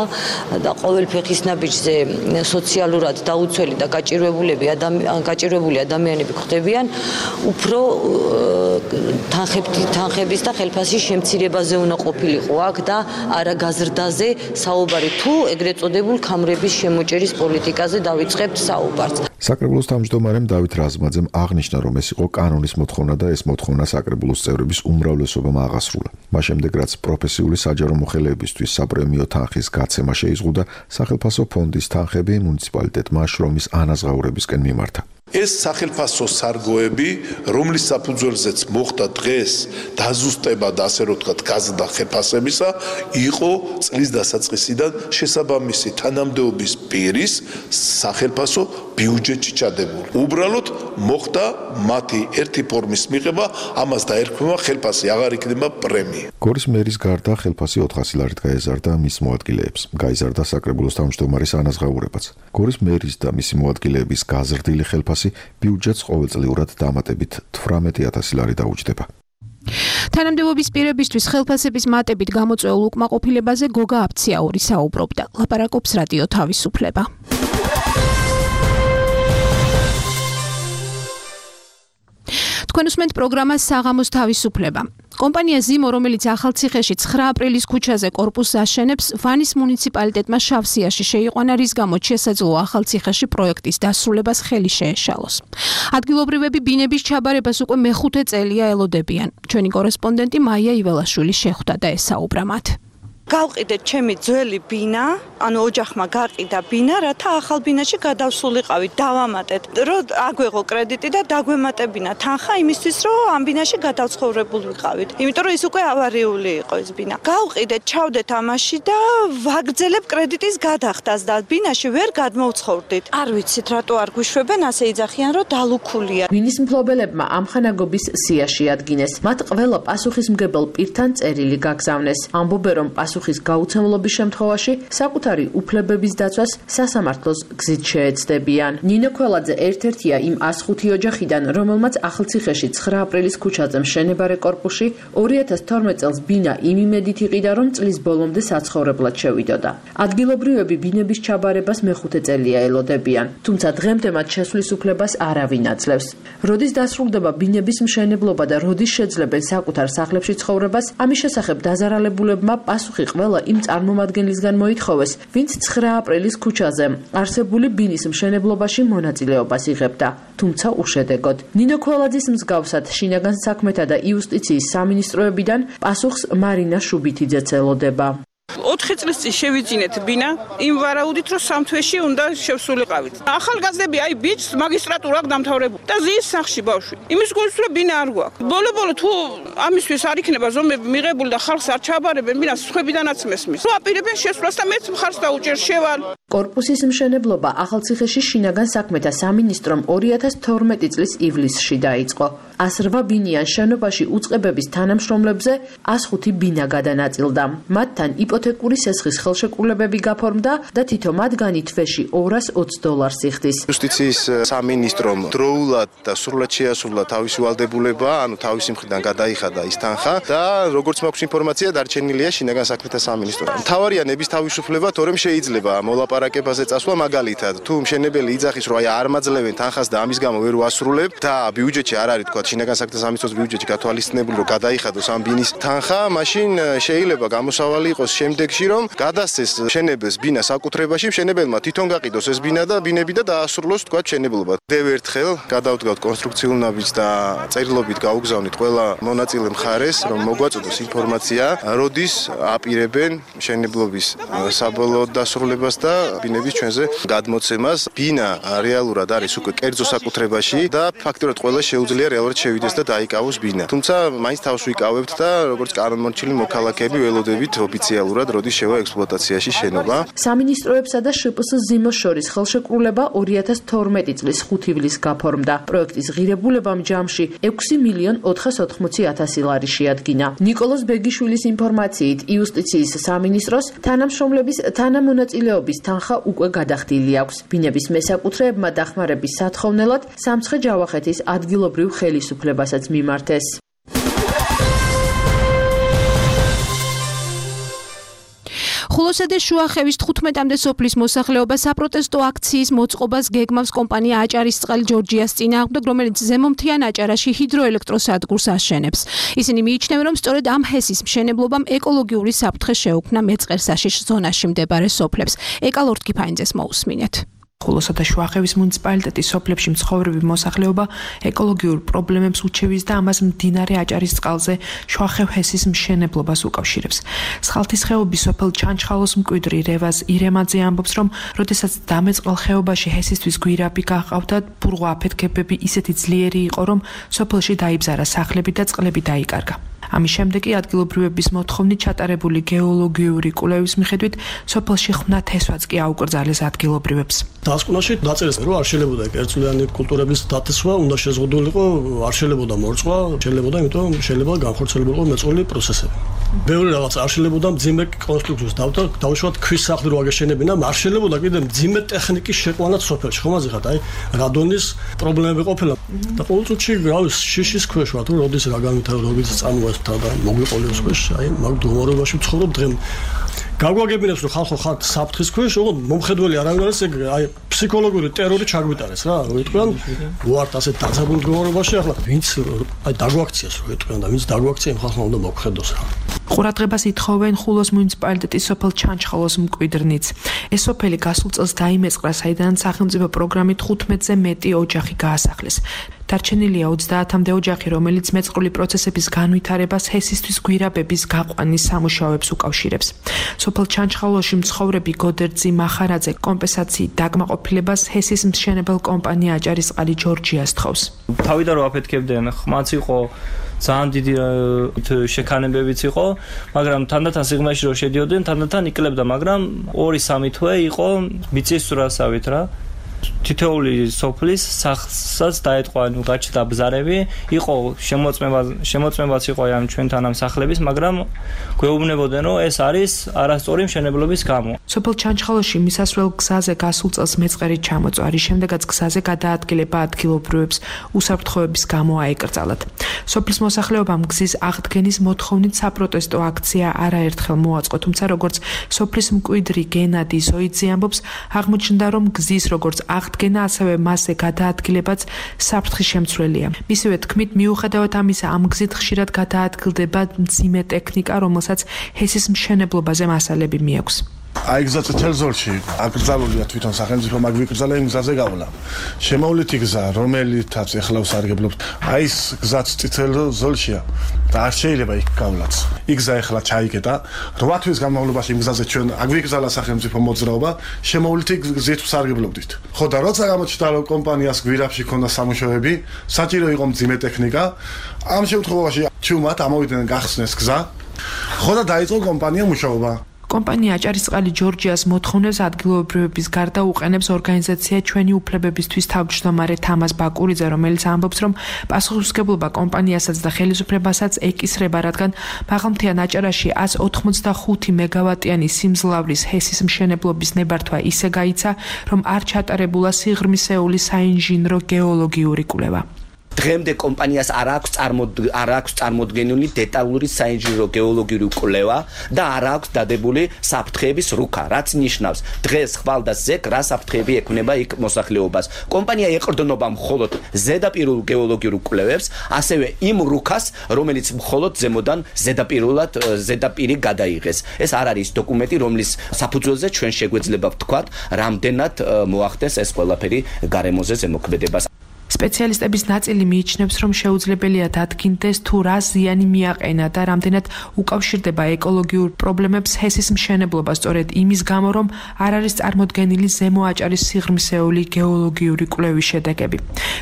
და ყოველ ფეხის ნაბიჯზე სოციალურად დაუცველი და გაჭირვებულები გაჭირვებული ადამიანები ხდებიან, უფრო თანხების და ხელფასის შემცირებაზე უნდა ყოფილიყო აქ და არა გაზრდაზე საუბარი, თუ ეგრეთ წოდებულ ქამრების შემოჭერის პოლიტიკაზე დავიწყებთ საუბარს. საკრებულოს თავმჯდომარემ დავით რაზმაძემ აღნიშნა, რომ ეს იყო კანონის მოთხოვნა და ეს მოთხოვნა საკრებულოს წევრების უმრავლესობამ აღასრულა. მას შემდეგ, რაც პროფესიული საჯარო მოხელეებისთვის საპრემიო თანხის გაცემა შეიზღუდა, სახელფასო ფონდის თანხები მუნიციპალიტეტმა შრომის ანაზღაურებისკენ მიმართა. ეს სახელმწიფო სარგოები, რომლის საფუძველზეც მოხდა დღეს დაზუსტება და ასე რომ ვთქვათ გაზრდა ხელფასებისა, იყო წლის დასაწყისიდან შესაბამისი თანამდებობის პირის სახელმწიფო ბიუჯეტში ჩადებული. უბრალოდ მოხდა მათი ერთი ფორმის მიღება, ამას დაერქმევა ხელფასი, აღარ იქნება პრემია. გორის მერის გარდა ხელფასი ოთხასი ლარით გაეზარდა მის მოადგილეებს. გაიზარდა საკრებულოს თავმჯდომარის ანაზღაურებაც. გორის მერის და მისი მოადგილეების გაზრდილი ხელფასი ბიუჯეტს ყოველწლიურად დამატებით თვრამეტი ათასი ლარი დაუჯდება. თანამდებობის პირებისთვის ხელფასების მატებით გამოწვეულ უკმაყოფილებაზე გოგა აფციაური საუბრობდა. ლაპარაკობს რადიო თავისუფლება. თქვენ უსმენთ პროგრამას საღამოს თავისუფლება. კომპანია ზიმო, რომელიც ახალციხეში ცხრა აპრილის ქუჩაზე კორპუსს აშენებს, ვანის მუნიციპალიტეტმა შავსიაში შეიყვანა, რის გამოც შესაძლოა ახალციხეში პროექტის დასრულებას ხელი შეეშალოს. ადგილობრივები ბინების ჩაბარებას უკვე მეხუთე წელია ელოდებიან. ჩვენი კორესპონდენტი მაია იველაშვილი შეხვდა და ესაუბრა მათ. გავყიდეთ ჩემი ძველი ბინა, ანუ ოჯახმა გაყიდა ბინა, რათა ახალ ბინაში გადავსულიყავით, დავამატეთ, რომ აგვეღო კრედიტი და დაგვემატებინა თანხა იმისთვის, რომ ამ ბინაში გადავცხოვრებულ ვიყავით. იმიტომ რომ ის უკვე ავარიული იყო ეს ბინა. გავყიდეთ, ჩავდეთ ამაში და ვაგრძელებ კრედიტის გადახდას და ბინაში ვერ გადმოვცხოვრდით. არ ვიცით, რატო არ გვიშვებენ, ასე იძახიან, რომ დალუქულია. ბინის მფლობელებმა ამხანაგობის სიაში ადგინეს. მათ ყველა პასუხისმგებელ პირთან წერილი გაგზავნეს. ამბობენ, რომ პასუხის გაუცემლობის შემთხვევაში საკუთარი უფლებების დაცვას სასამართლოს გზით შეეცდებიან. ნინო ქველაძე ერთ-ერთია იმ ას ხუთი ოჯახიდან, რომელმაც ახალციხეში ცხრა აპრილის ქუჩაზე მშენებარე კორპუსში ორი ათას თორმეტ წელს ბინა იმ იმედით იყიდა, რომ წლის ბოლომდე საცხოვრებლად შევიდოდა. ადგილობრივები ბინების ჩაბარებას მეხუთე წელია ელოდებიან, თუმცა დღემდე მათ შესვლის უფლებას არავინ აძლევს. როდის დასრულდება ბინების მშენებლობა და როდის შეძლებენ საკუთარ სახლებში ცხოვრებას, ამის შესახებ დაზარალებულებმა პასუხი ყველა იმ წარმომადგენლისგან მოითხოვეს, ვინც ცხრა აპრილის ქუჩაზე არსებული ბინის მშენებლობაში მონაწილეობას იღებდა, თუმცა უშედეგოდ. ნინო ქველაძის მსგავსად შინაგან საქმეთა და იუსტიციის სამინისტროებიდან პასუხს მარინა შუბითიძეც ელოდება. ოთხი წლის წინ შევიძინეთ ბინა, იმ ვარაუდით, რომ სამ თვეში უნდა შევსულიყავით. ახალგაზრდები აი ბიჭს მაგისტრატურა აქვს დამთავრებული და ზის სახში ბავშვი. იმის გულს რომ ბინა არ გვაქვს. ბოლო-ბოლო თუ ამისთვის არ იქნება ზომები მიღებული და ხალხს არ ჩაბარებენ, ბინას სხვებიდანაც მესმის. რო აპირებენ შესვლას და მეც მხარს დაუჭერ შევალ. კორპუსის მშენებლობა ახალციხეში შინაგან საქმეთა სამინისტრომ ორი ათას თორმეტი წლის ივლისში დაიწყო. ას რვა ბინიან შენობაში უწყებების თანამშრომლებზე ას ხუთი ბინა გადანაწილდა. მათთან იპოთეკური სესხის ხელშეკრულებები გაფორმდა და თითო მათგანი თვეში ორას ოცი დოლარს იხდის. იუსტიციის სამინისტრომ დროულად და სრულად შეასრულა თავისი ვალდებულება, ანუ თავისი მხრიდან გადაიხადა ის თანხა და როგორც მაქვს ინფორმაცია, დარჩენილია შინაგან საქმეთა სამინისტრომ. მთავარია ნების თავისუფლება, თორემ შეიძლება მოლაპარაკებაზე წასვლა, მაგალითად, თუ მშენებელი იძახის, რომ აი არ მაძლევენ თანხას და ამის გამო ვერ ვასრულებ და ბიუჯეტში არ არის, თქვა შინაგან საქმეთა სამინისტროს ბიუჯეტში გათვალისწინებული, რომ გადაიხადოს ამ ბინის თანხა, მაშინ შეიძლება გამოსავალი იყოს შემდეგში, რომ გადასცეს მშენებელს ბინა საკუთრებაში, მშენებელმა თვითონ გაყიდოს ეს ბინა და ბინები და დაასრულოს თქვა მშენებლობა. დევ ერთხელ გადავდგავთ კონსტრუქციულ ნაბიჯს და წერილობით გაუგზავნით ყველა მონაწილე მხარეს, რომ მოგვაწოდოს ინფორმაცია, როდის აპირებენ მშენებლობის საბოლოო დასრულებას და ბინების ჩვენზე გადმოცემას. ბინა რეალურად არის უკვე კერძო საკუთრებაში და ფაქტობრივად ყველა შეუძლია რეალურად შევიდეს და დაიკავოს ბინა. თუმცა მაინც თავს ვიკავებთ და როგორც კანონმორჩილი მოქალაქეები ველოდებით ოფიციალურად როდის შევა ექსპლუატაციაში შენობა. სამინისტროებსა და შპს ზიმოს შორის ხელშეკრულება ორი ათას თორმეტი წლის ხუთი ივლისს გაფორმდა. პროექტის ღირებულებამ ჯამში ექვსი მილიონ ოთხასოთხმოცი ათასი ლარი შეადგინა. ნიკოლოზ ბეგიშვილის ინფორმაციით, იუსტიციის სამინისტროს თანამშრომლების თანამონაწილეობის თანხა უკვე გადახდილი აქვს. ბინების მესაკუთრეებმა დახმარების სათხოვნელად სამცხე ჯავახეთის ადგილობრივ ხელისუფლებასაც მიმართეს. ხულოსა და შუახევის თხუთმეტამდე სოფლის მოსახლეობა საპროტესტო აქციის მოწყობას გეგმავს კომპანია აჭარისწყალი ჯორჯიას წინააღმდეგ, რომელიც ზემომთიან აჭარაში ჰიდროელექტროსადგურს აშენებს. ისინი მიიჩნევენ, რომ სწორედ ამ ჰესის მშენებლობამ ეკოლოგიური საფრთხე შეუქმნა მეწყერსაშიშ ზონაში მდებარე სოფლებს. ეკალორთქიფაინძეს მოусმინეთ. ხულოსა და შუახევის მუნიციპალიტეტის სოფლებში მცხოვრები მოსახლეობა ეკოლოგიურ პრობლემებს უჩევს და ამას მდინარე აჭარის წყალზე შუახევ ჰესის მშენებლობას უკავშირებს. სხალთის ხეობის სოფელ ჩანჩხალოს მკვიდრი რევაზ ირემაძე ამბობს, რომ როდესაც დამეწყალ ხეობაში ჰესისთვის გვირაბი გაყავდა, ბურღვა აფეთქებები ისეთი ძლიერი იყო, რომ სოფელში დაიბზარა სახლები და წყლები დაიკარგა. ამის შემდეგ კი ადგილობრივების მოთხოვნით ჩატარებული გეოლოგიური კვლევის მიხედვით სოფელში ხმნათ ჰესვაც კი აუკრძალეს ადგილობრივებს. დასკვნაში დაწერეს, რომ არ შეიძლება კერძლიანი კულტურების დაცვა, უნდა შეზღუდულიყო, არ შეიძლება მორწვა, შეიძლება, იმიტომ შეიძლება განხორციელებულიყო მეწყრული პროცესები. ბევრი რაღაც არ შეიძლება მძიმე კონსტრუქციებს დავთა, დავუშვათ ქვის სახლი რო აგეშენებინა, არ შეიძლება კიდე მძიმე ტექნიკის შეყვანა სოფელში, ხომ აზრიხარ, აი რადონის პრობლემები ყოფილა. და ყოველ წუთში გრავის შიშის ქვეშ ვარ, თუ როდის რა განვითარდა, როდის წამოეს და მოგვიყოლებს ქვეშ, აი მაგ დომორობაში ვცხოვრობ დღემდე. გაგვაგებინებს რომ ხალხო ხართ საფრთხის ქვეშ, ოღონდ მომხედველი არავინ არის, ეგ აი ფსიქოლოგიური ტერორი ჩაგვიტარეს რა, რო იტყვიან, ვართ ასე დაცაბულ მდგომარეობაში, ახლა ვინც აი დაგვაქციას რო იტყვიან და ვინც დაგვაქცია, იმ ხალხმა უნდა მოგხედოს რა. ყურადღებას ითხოვენ ხულოს მუნიციპალიტეტის სოფელ ჩანჩხალოს მკვიდრნიც. ეს სოფელი გასულ წელს დაიმეწყრა, საიდანაც სახელმწიფო პროგრამით ხუთმეტზე მეტი ოჯახი გაასახლეს. დარჩენილია ოცდაათამდე ოჯახი, რომელიც მეწყრული პროცესების განვითარებას ჰესისთვის გვირაბების გაყვანის სამუშაოებს უკავშირებს. სოფელ ჩანჩხალოში მცხოვრები გოდერძი მახარაძე კომპენსაციით დაკმაყოფილებას ჰესის მშენებელ კომპანია აჭარისწყალი ჯორჯიას თხოვს. თავიდან რო აფეთქებდნენ, ხმაც იყო, ძალიან დიდი შექანებებიც იყო, მაგრამ თანდათან სიღრმეში რო შედიოდნენ, თანდათან იკლებდა, მაგრამ ორი სამი თვე იყო მიწის სურასავით რა. თითოეული სოფლის სახლსაც დაეთყვა, ნუ გაჩნდა ბზარები, იყო შემოწმება, შემოწმებაც იყო ამ ჩვენთან ამ სახლების, მაგრამ გვეუბნებოდნენ, რომ ეს არის არასწორი მშენებლობის გამო. სოფელ ჩანჩხალოში მისასვლელ გზაზე გასულ წელს მეწყერი ჩამოწვა, რის შემდეგაც გზაზე გადაადგილება ადგილობრივებს უსაფრთხოების გამო აეკრძალათ. სოფლის მოსახლეობამ გზის აღდგენის მოთხოვნით საპროტესტო აქცია არაერთხელ მოაწყო, თუმცა როგორც სოფლის მკვიდრი გენადი ზოიძე ამბობს, აღმოჩნდა, რომ გზის როგორც აღდგენა, ასევე მასზე გადაადგილებაც საფრთხის შემცველია. მისივე თქმით, მიუხედავად ამისა, ამ გზით ხშირად გადაადგილდება მძიმე ტექნიკა, რომელსაც ჰესის მშენებლობაზე მასალები მიაქვს. აი გზა წითელ ზოლში აკრძალულია თვითონ სახელმწიფო, მაგ ვიკრძალა იმ გზაზე გავლა. შემოვლითი გზა, რომელითაც ეხლა ვსარგებლობთ, აი ეს გზაც წითელ ზოლშია და არ შეიძლება იქ გავლაც. იქ გზა ეხლა ჩაიკეტა, რვა თვის განმავლობაში იმ გზაზე ჩვენ აქ ვიკრძალა სახელმწიფო მოძრაობა, შემოვლითი გზით ვსარგებლობდით. ხო და როცა გამოჩნდა რომ კომპანიას გვირაბში ქონდა სამუშაოები, საჭირო იყო მძიმე ტექნიკა, ამ შემთხვევაში ჩუმად ამოვიდნენ გახსნეს გზა. ხო და დაიწყო კომპანია მუშაობა. კომპანია აჭარისწყალი ჯორჯიას მოთხოვნებს ადგილობრივების გარდა უყენებს ორგანიზაცია ჩვენი უფლებებისთვის თავმჯდომარე თამაზ ბაკურიძე, რომელიც ამბობს, რომ პასუხისმგებლობა კომპანიასაც და ხელისუფლებასაც ეკისრება, რადგან მაღალმთიან აჭარაში ას ოთხმოცდახუთი მეგავატიანი სიმძლავრის ჰესის მშენებლობის ნებართვა ისე გაიცა, რომ არ ჩატარებულა სიღრმისეული საინჟინრო გეოლოგიური კვლევა. დღემდე კომპანიას არ აქვს არ აქვს წარმოდგენილი დეტალური საინჟინრო გეოლოგიური კვლევა და არ აქვს დადებული საფრთხეების რუქა, რაც ნიშნავს დღეს ხვალ და ზეკ რა საფრთხეები ექმნება იქ მოსახლეობას. კომპანია ეყრდნობა მხოლოდ ზედაპირულ გეოლოგიურ კვლევებს, ასევე იმ რუქას, რომელიც მხოლოდ ზემოდან ზედაპირულად ზედაპირი გადაიღეს. ეს არ არის დოკუმენტი, რომლის საფუძველზე ჩვენ შეგვეძლება ვთქვათ, რამდენად მოახდეს ეს ყველაფერი გარემოზე ზემოქმედებას. სპეციალისტების ნაწილი მიიჩნევს, რომ შეუძლებელია დადგინდეს თუ რა ზიანი მიაყენა და რამდენად უკავშირდება ეკოლოგიურ პრობლემებს ჰესის მშენებლობა, სწორედ იმის გამო, რომ არ არის წარმოდგენილი ზემო აჭარის სიღრმისეული გეოლოგიური კვლევის შედეგები.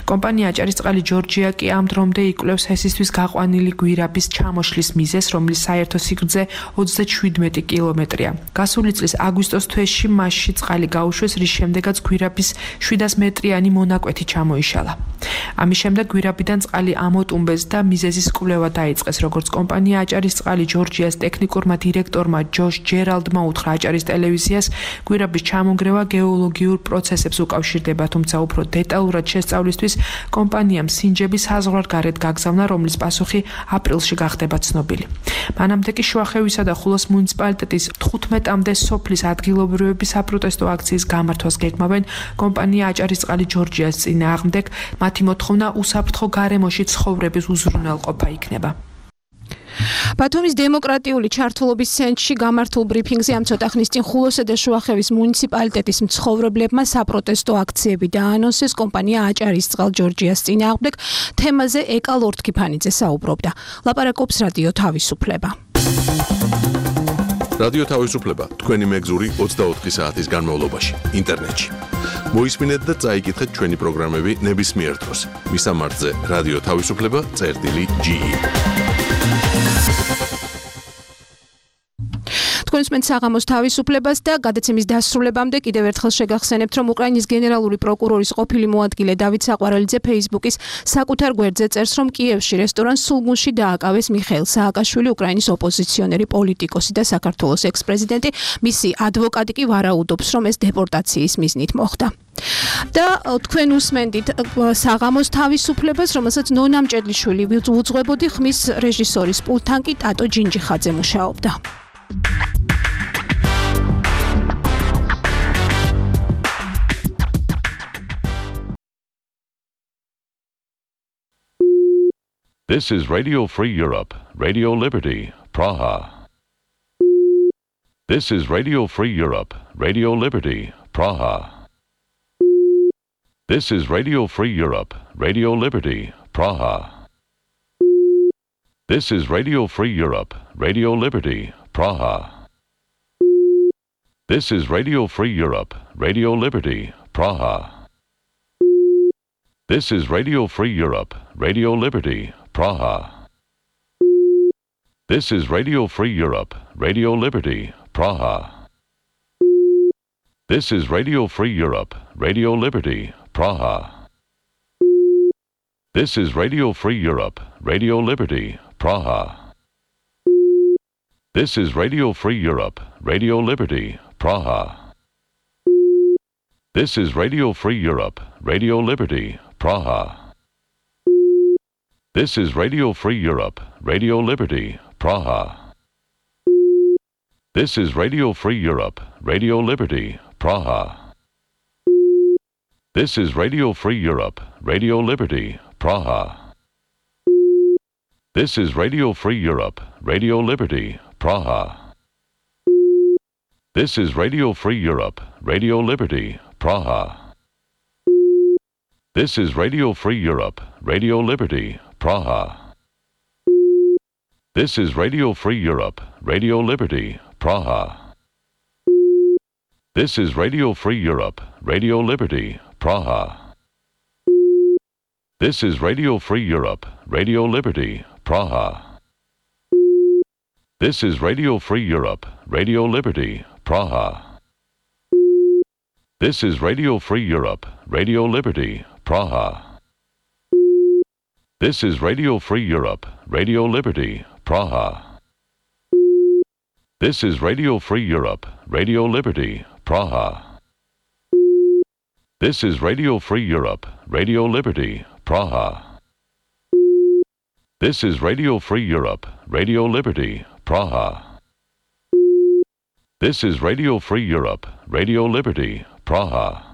კომპანია აჭარისწყალი ჯორჯია კი ამ დრომდე იკვლევს ჰესისთვის გაყვანილი გვირაბის ჩამოშლის მიზეზს, რომლის საერთო სიგრძე ოცდაშვიდმეტი კილომეტრია. გასული წლის აგვისტოს თვეში მასში წყალი გაუშვეს, რის შემდეგაც გვირაბის შვიდას მეტრიანი მონაკვეთი ჩამოიშალა. ამის შემდეგ გვირაბიდან წყალი ამოტუმბეს და მიზეზის კვლევა დაიწყეს, როგორც კომპანია აჭარისწყალი ჯორჯიას ტექნიკურმა დირექტორმა ჯოშ ჯერალდმა უთხრა აჭარის ტელევიზიას, გვირაბის ჩამონგრევა გეოლოგიურ პროცესებს უკავშირდება, თუმცა უფრო დეტალურად შესწავლისთვის კომპანიამ სინჯები საზღვარგარეთ გაგზავნა, რომლის პასუხი აპრილში გახდება ცნობილი. მანამდე კი შუახევისა და ხულოს მუნიციპალიტეტის თხუთმეტამდე სოფლის ადგილობრივების საპროტესტო აქციის გამართვას გეგმავენ კომპანია აჭარისწყალი ჯორჯიას წინააღმდეგ. მათი მოთხოვნა უსაფრთხო გარემოში ცხოვრების უზრუნველყოფა იქნება. ბათუმის დემოკრატიული ჩართულობის ცენტრში გამართულ ბრიფინგზე ამ ცოტა ხნის წინ ხულოსა და შუახევის მუნიციპალიტეტის მცხოვრებლებმა საპროტესტო აქციები დაანონსეს კომპანია აჭარის წყალ ჯორჯიას წინააღმდეგ. თემაზე ეკა ლორდ-ქიფანიძე საუბრობდა. ლაპარაკობს რადიო თავისუფლება. რადიო თავისუფლება თქვენი მეგზური ოცდაოთხი საათის განმავლობაში ინტერნეტში. მოისმინეთ და წაიკითხეთ ჩვენი პროგრამები ნებისმიერ დროს. მისამართზე რადიო თავისუფლება წერტილი ჯი ი. თქვენს მეც საღამოს თავისუფლებას და გადაცემის დასრულებამდე კიდევ ერთხელ შეგახსენებთ, რომ უკრაინის გენერალური პროკურორის ყოფილი მოადგილე დავით საყვარელიძე Facebook-ის საკუთარ გვერდზე წერს, რომ კიევში რესტორან სულგუნში დააკავეს მიხეილ სააკაშვილი, უკრაინის ოპოზიციონერი პოლიტიკოსი და საქართველოს ექს-პრეზიდენტი. მისი ადვოკატი კი ვარაუდობს, რომ ეს დეპორტაციის მიზნით მოხდა. და თქვენ უსმენდით საღამოს თავისუფლებას, რომელსაც ნონა მჭედლიშვილი უძღვებოდი, ხმის რეჟისორის პულტთან კი ტატო ჯინჯიხაძე მუშაობდა. This is Radio Free Europe, Radio Liberty, Praha. This is Radio Free Europe, Radio Liberty, Praha. This is Radio Free Europe, Radio Liberty, Praha. This is Radio Free Europe, Radio Liberty, Praha. This is Radio Free Europe, Radio Liberty, Praha. This is Radio Free Europe, Radio Liberty, Praha. This is Radio Free Europe, Radio Liberty, Praha. This is Radio Free Europe, Radio Liberty, Praha. This is Radio Free Europe, Radio Liberty, Praha. This is Radio Free Europe, Radio Liberty, Praha. This is Radio Free Europe, Radio Liberty, Praha. This is Radio Free Europe, Radio Liberty, Praha. This is Radio Free Europe, Radio Liberty, Praha. This is Radio Free Europe, Radio Liberty, Praha. This is Radio Free Europe, Radio Liberty, Praha. This is Radio Free Europe, Radio Liberty, Praha. This is Radio Free Europe, Radio Liberty, Praha. This is Radio Free Europe, Radio Liberty, Praha. This is Radio Free Europe, Radio Liberty, Praha. This is Radio Free Europe, Radio Liberty, Praha. This is Radio Free Europe, Radio Liberty, Praha. This is Radio Free Europe, Radio Liberty, Praha. This is Radio Free Europe, Radio Liberty, Praha. This is Radio Free Europe, Radio Liberty, Praha. This is Radio Free Europe, Radio Liberty, Praha. This is Radio Free Europe, Radio Liberty, Praha. This is Radio Free Europe, Radio Liberty, Praha.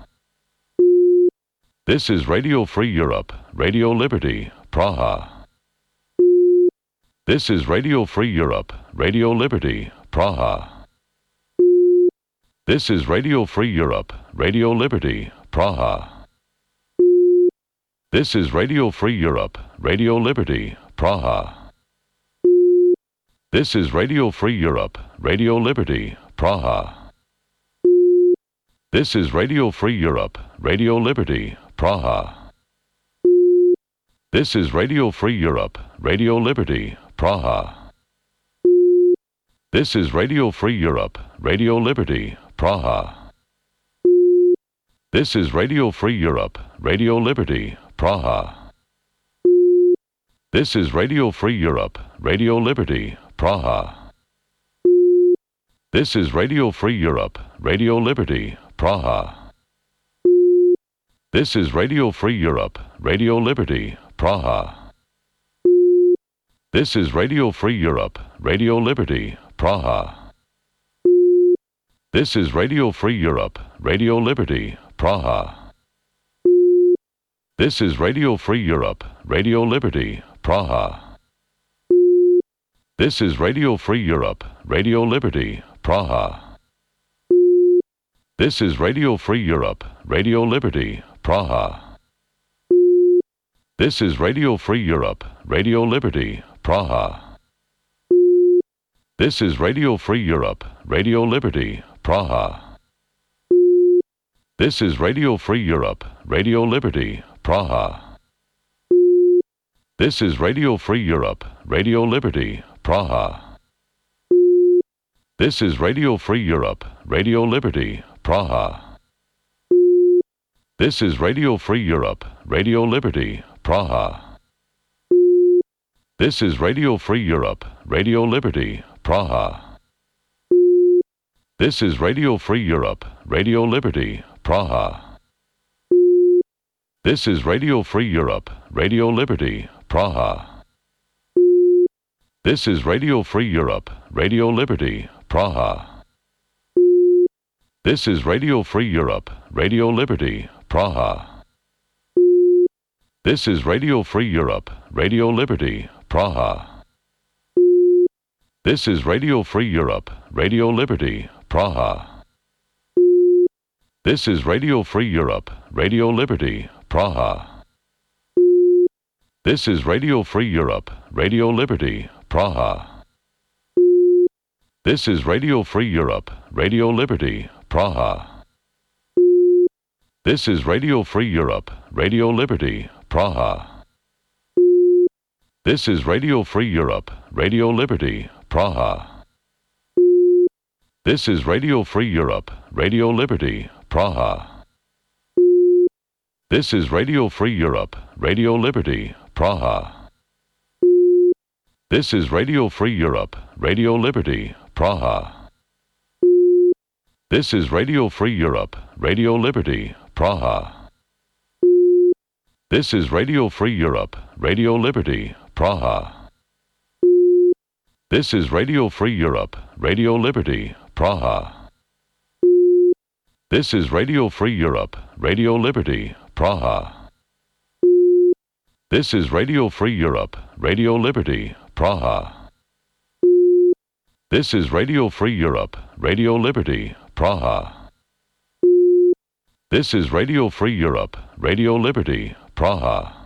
This is Radio Free Europe, Radio Liberty, Praha. This is Radio Free Europe, Radio Liberty, Praha. This is Radio Free Europe, Radio Liberty, Praha. This is Radio Free Europe, Radio Liberty, Praha. This is Radio Free Europe, Radio Liberty, Praha. This is Radio Free Europe, Radio Liberty, Praha. This is Radio Free Europe, Radio Liberty, Praha. This is Radio Free Europe, Radio Liberty, Praha. This is Radio Free Europe, Radio Liberty, Praha. This is Radio Free Europe, Radio Liberty, Praha. This is Radio Free Europe, Radio Liberty, Praha. This is Radio Free Europe, Radio Liberty, Praha. This is Radio Free Europe, Radio Liberty, Praha. This is Radio Free Europe, Radio Liberty, Praha. This is Radio Free Europe, Radio Liberty, Praha. This is Radio Free Europe, Radio Liberty, Praha. This is Radio Free Europe, Radio Liberty, Praha. This is Radio Free Europe, Radio Liberty, Praha. This is Radio Free Europe, Radio Liberty, Praha. This is Radio Free Europe, Radio Liberty, Praha. This is Radio Free Europe, Radio Liberty, Praha. This is Radio Free Europe, Radio Liberty, Praha. This is Radio Free Europe, Radio Liberty, Praha. This is Radio Free Europe, Radio Liberty, Praha. This is Radio Free Europe, Radio Liberty, Praha. This is Radio Free Europe, Radio Liberty, Praha. This is Radio Free Europe, Radio Liberty, Praha. This is Radio Free Europe, Radio Liberty, Praha. This is Radio Free Europe, Radio Liberty, Praha. This is Radio Free Europe, Radio Liberty, Praha. This is Radio Free Europe, Radio Liberty, Praha. This is Radio Free Europe, Radio Liberty, Praha. This is Radio Free Europe, Radio Liberty, Praha. This is Radio Free Europe, Radio Liberty, Praha. This is Radio Free Europe, Radio Liberty, Praha. This is Radio Free Europe, Radio Liberty, Praha. This is Radio Free Europe, Radio Liberty, Praha. This is Radio Free Europe, Radio Liberty, Praha. This is Radio Free Europe, Radio Liberty, Praha. This is Radio Free Europe, Radio Liberty, Praha. This is Radio Free Europe, Radio Liberty, Praha. This is Radio Free Europe, Radio Liberty, Praha. This is Radio Free Europe, Radio Liberty, Praha. This is Radio Free Europe, Radio Liberty, Praha.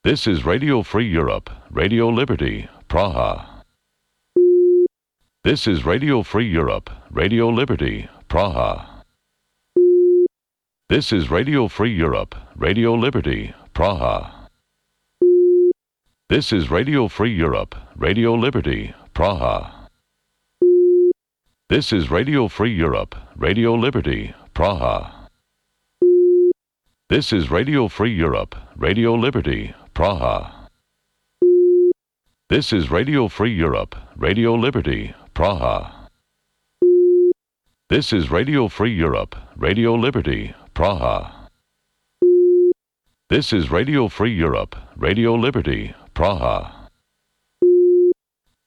This is Radio Free Europe, Radio Liberty, Praha. This is Radio Free Europe, Radio Liberty, Praha. This is Radio Free Europe, Radio Liberty, Praha. This is Radio Free Europe, Radio Liberty, Praha. This is Radio Free Europe, Radio Liberty, Praha. This is Radio Free Europe, Radio Liberty, Praha. This is Radio Free Europe, Radio Liberty, Praha. This is Radio Free Europe, Radio Liberty, Praha. This is Radio Free Europe, Radio Liberty, Praha. This is Radio Free Europe, Radio Liberty, Praha.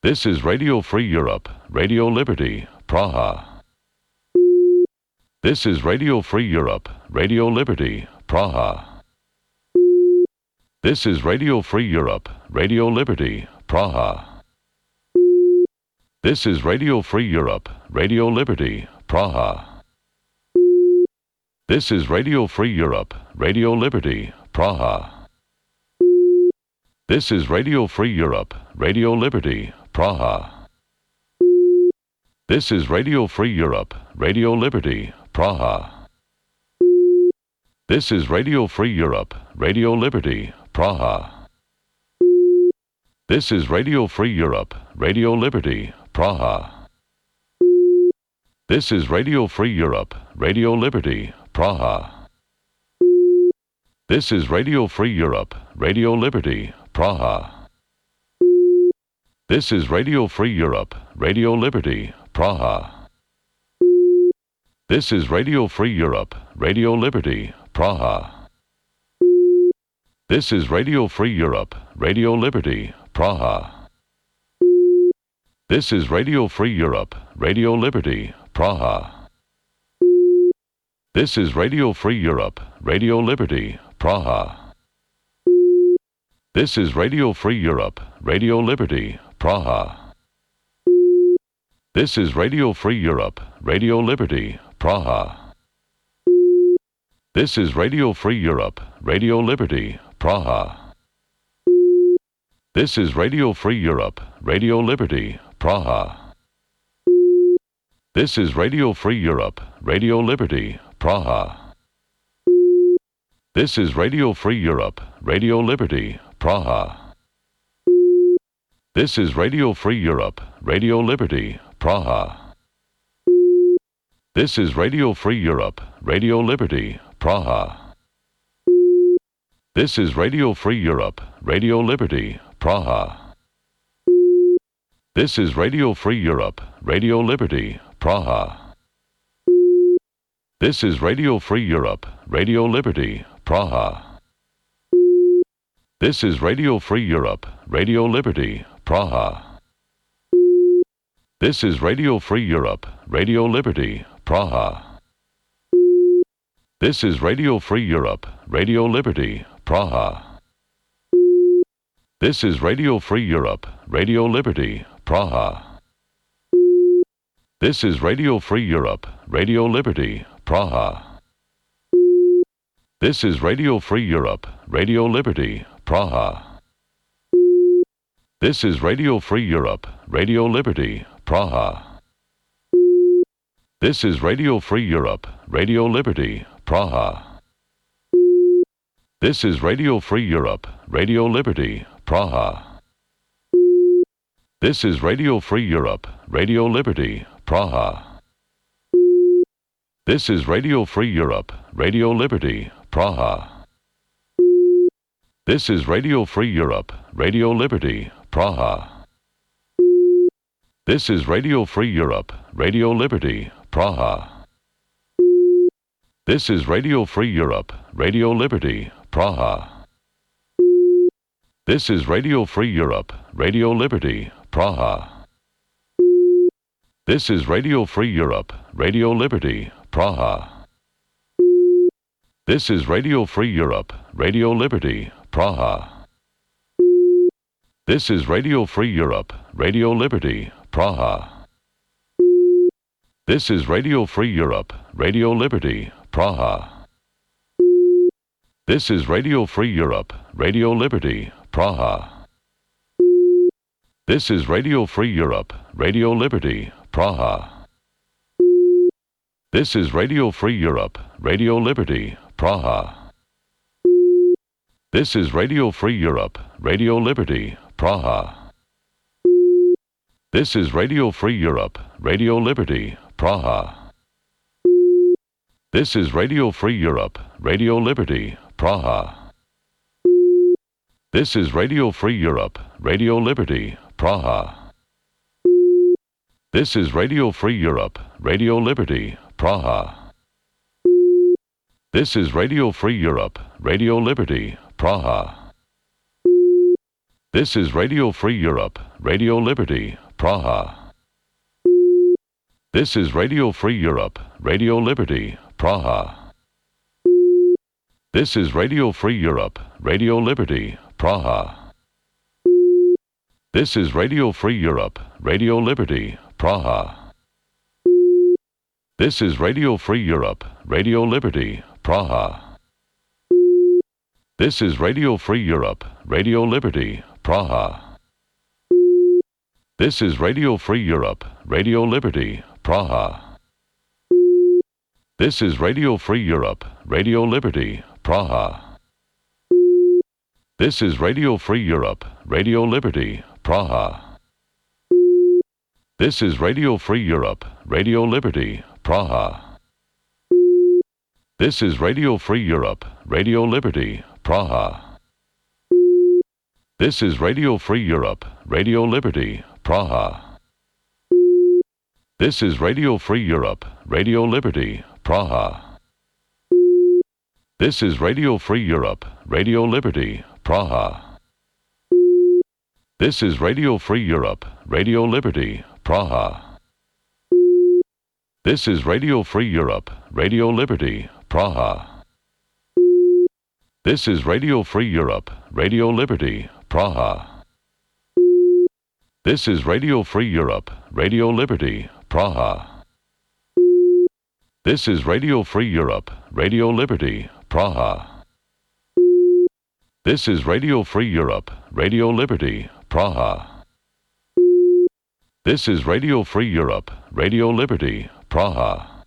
This is Radio Free Europe, Radio Liberty, Praha. This is Radio Free Europe, Radio Liberty, Praha. This is Radio Free Europe, Radio Liberty, Praha. This is Radio Free Europe, Radio Liberty, Praha. This is Radio Free Europe, Radio Liberty, Praha. This is Radio Free Europe, Radio Liberty, Praha. This is Radio Free Europe, Radio Liberty, Praha. This is Radio Free Europe, Radio Liberty, Praha. This is Radio Free Europe, Radio Liberty, Praha. This is Radio Free Europe, Radio Liberty, Praha. This is Radio Free Europe, Radio Liberty, Praha. This is Radio Free Europe, Radio Liberty, Praha. This is Radio Free Europe, Radio Liberty, Praha. This is Radio Free Europe, Radio Liberty, Praha. This is Radio Free Europe, Radio Liberty, Praha. This is Radio Free Europe, Radio Liberty, Praha. This is Radio Free Europe, Radio Liberty, Praha. This is Radio Free Europe, Radio Liberty, Praha. This is Radio Free Europe, Radio Liberty, Praha. This is Radio Free Europe, Radio Liberty, Praha. This is Radio Free Europe, Radio Liberty, Praha. This is Radio Free Europe, Radio Liberty, Praha. This is Radio Free Europe, Radio Liberty, Praha. This is Radio Free Europe, Radio Liberty, Praha. This is Radio Free Europe, Radio Liberty, Praha. This is Radio Free Europe, Radio Liberty, Praha. This is Radio Free Europe, Radio Liberty, Praha. This is Radio Free Europe, Radio Liberty, Praha. This is Radio Free Europe, Radio Liberty, Praha. This is Radio Free Europe, Radio Liberty, Praha. This is Radio Free Europe, Radio Liberty, Praha. This is Radio Free Europe, Radio Liberty, Praha. This is Radio Free Europe, Radio Liberty, Praha. This is Radio Free Europe, Radio Liberty, Praha. This is Radio Free Europe, Radio Liberty, Praha. This is Radio Free Europe, Radio Liberty, Praha. This is Radio Free Europe, Radio Liberty, Praha. This is Radio Free Europe, Radio Liberty, Praha. This is Radio Free Europe, Radio Liberty, Praha. This is Radio Free Europe, Radio Liberty, Praha. This is Radio Free Europe, Radio Liberty, Praha. This is Radio Free Europe, Radio Liberty, Praha. This is Radio Free Europe, Radio Liberty, Praha. This is Radio Free Europe, Radio Liberty, Praha. This is Radio Free Europe, Radio Liberty, Praha. This is Radio Free Europe, Radio Liberty, Praha. This is Radio Free Europe, Radio Liberty, Praha. This is Radio Free Europe, Radio Liberty, Praha. This is Radio Free Europe, Radio Liberty, Praha. This is Radio Free Europe, Radio Liberty, Praha. This is Radio Free Europe, Radio Liberty, Praha. This is Radio Free Europe, Radio Liberty, Praha. This is Radio Free Europe, Radio Liberty, Praha. This is Radio Free Europe, Radio Liberty, Praha. This is Radio Free Europe, Radio Liberty, Praha. This is Radio Free Europe, Radio Liberty, Praha. This is Radio Free Europe, Radio Liberty, Praha. This is Radio Free Europe, Radio Liberty, Praha. This is Radio Free Europe, Radio Liberty, Praha. This is Radio Free Europe, Radio Liberty, Praha. This is Radio Free Europe, Radio Liberty, Praha. This is Radio Free Europe, Radio Liberty, Praha. This is Radio Free Europe, Radio Liberty, Praha. This is Radio Free Europe, Radio Liberty, Praha. This is Radio Free Europe, Radio Liberty, Praha. This is Radio Free Europe, Radio Liberty, Praha. This is Radio Free Europe, Radio Liberty, Praha. This is Radio Free Europe, Radio Liberty, Praha. This is Radio Free Europe, Radio Liberty, Praha. This is Radio Free Europe, Radio Liberty, Praha. This is Radio Free Europe, Radio Liberty, Praha. This is Radio Free Europe, Radio Liberty, Praha. This is Radio Free Europe, Radio Liberty, Praha. This is Radio Free Europe, Radio Liberty, Praha. This is Radio Free Europe, Radio Liberty, Praha. This is Radio Free Europe, Radio Liberty, Praha.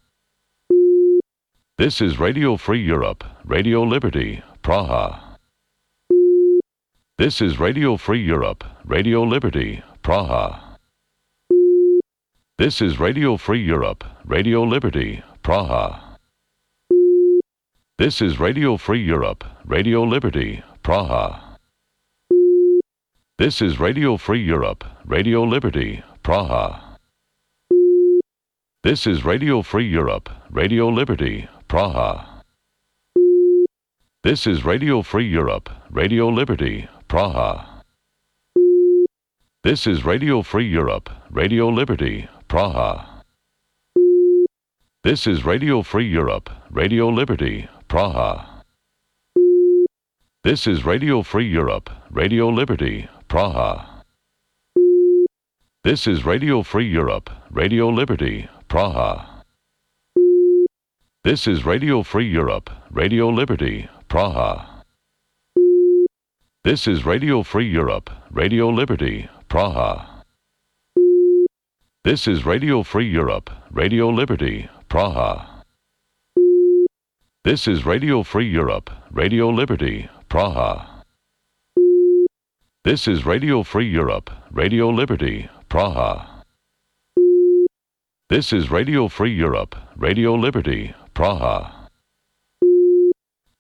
This is Radio Free Europe, Radio Liberty, Praha. This is Radio Free Europe, Radio Liberty, Praha. This is Radio Free Europe, Radio Liberty, Praha. This is Radio Free Europe, Radio Liberty, Praha. This is Radio Free Europe, Radio Liberty, Praha. This is Radio Free Europe, Radio Liberty, Praha. This is Radio Free Europe, Radio Liberty, Praha. This is Radio Free Europe, Radio Liberty, Praha. This is Radio Free Europe, Radio Liberty, Praha. This is Radio Free Europe, Radio Liberty, Praha. This is Radio Free Europe, Radio Liberty, Praha. This is Radio Free Europe, Radio Liberty, Praha. This is Radio Free Europe, Radio Liberty, Praha. This is Radio Free Europe, Radio Liberty, Praha. This is Radio Free Europe, Radio Liberty, Praha. This is Radio Free Europe, Radio Liberty, Praha. This is Radio Free Europe, Radio Liberty, Praha.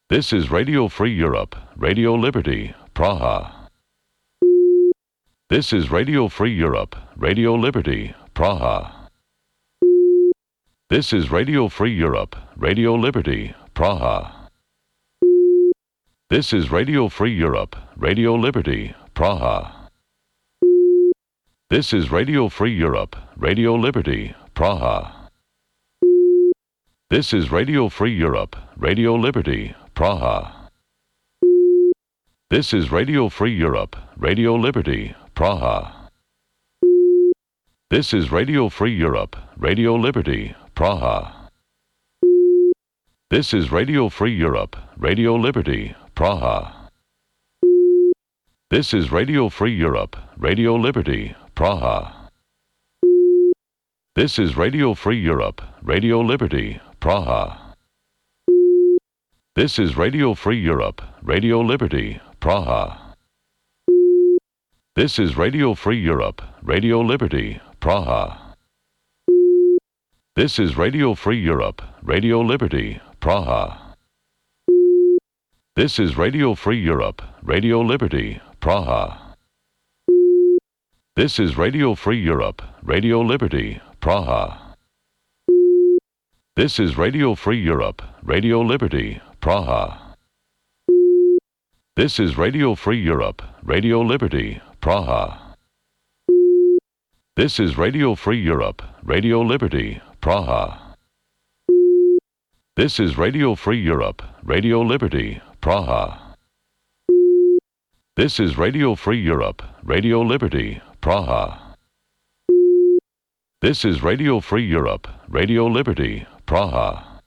This is Radio Free Europe, Radio Liberty, Praha. This is Radio Free Europe, Radio Liberty, Praha. This is Radio Free Europe, Radio Liberty, Praha. This is Radio Free Europe, Radio Liberty, Praha. This is Radio Free Europe, Radio Liberty, Praha. This is Radio Free Europe, Radio Liberty, Praha. This is Radio Free Europe, Radio Liberty, Praha. This is Radio Free Europe, Radio Liberty, Praha. This is Radio Free Europe, Radio Liberty, Praha. This is Radio Free Europe, Radio Liberty, Praha. This is Radio Free Europe, Radio Liberty, Praha. This is Radio Free Europe, Radio Liberty, Praha. This is Radio Free Europe, Radio Liberty, Praha. This is Radio Free Europe, Radio Liberty, Praha. This is Radio Free Europe, Radio Liberty, Praha. This is Radio Free Europe, Radio Liberty, Praha. This is Radio Free Europe, Radio Liberty, Praha. This is Radio Free Europe, Radio Liberty, Praha. This is Radio Free Europe, Radio Liberty, Praha. This is Radio Free Europe, Radio Liberty, Praha. This is Radio Free Europe, Radio Liberty, Praha. This is Radio Free Europe, Radio Liberty, Praha.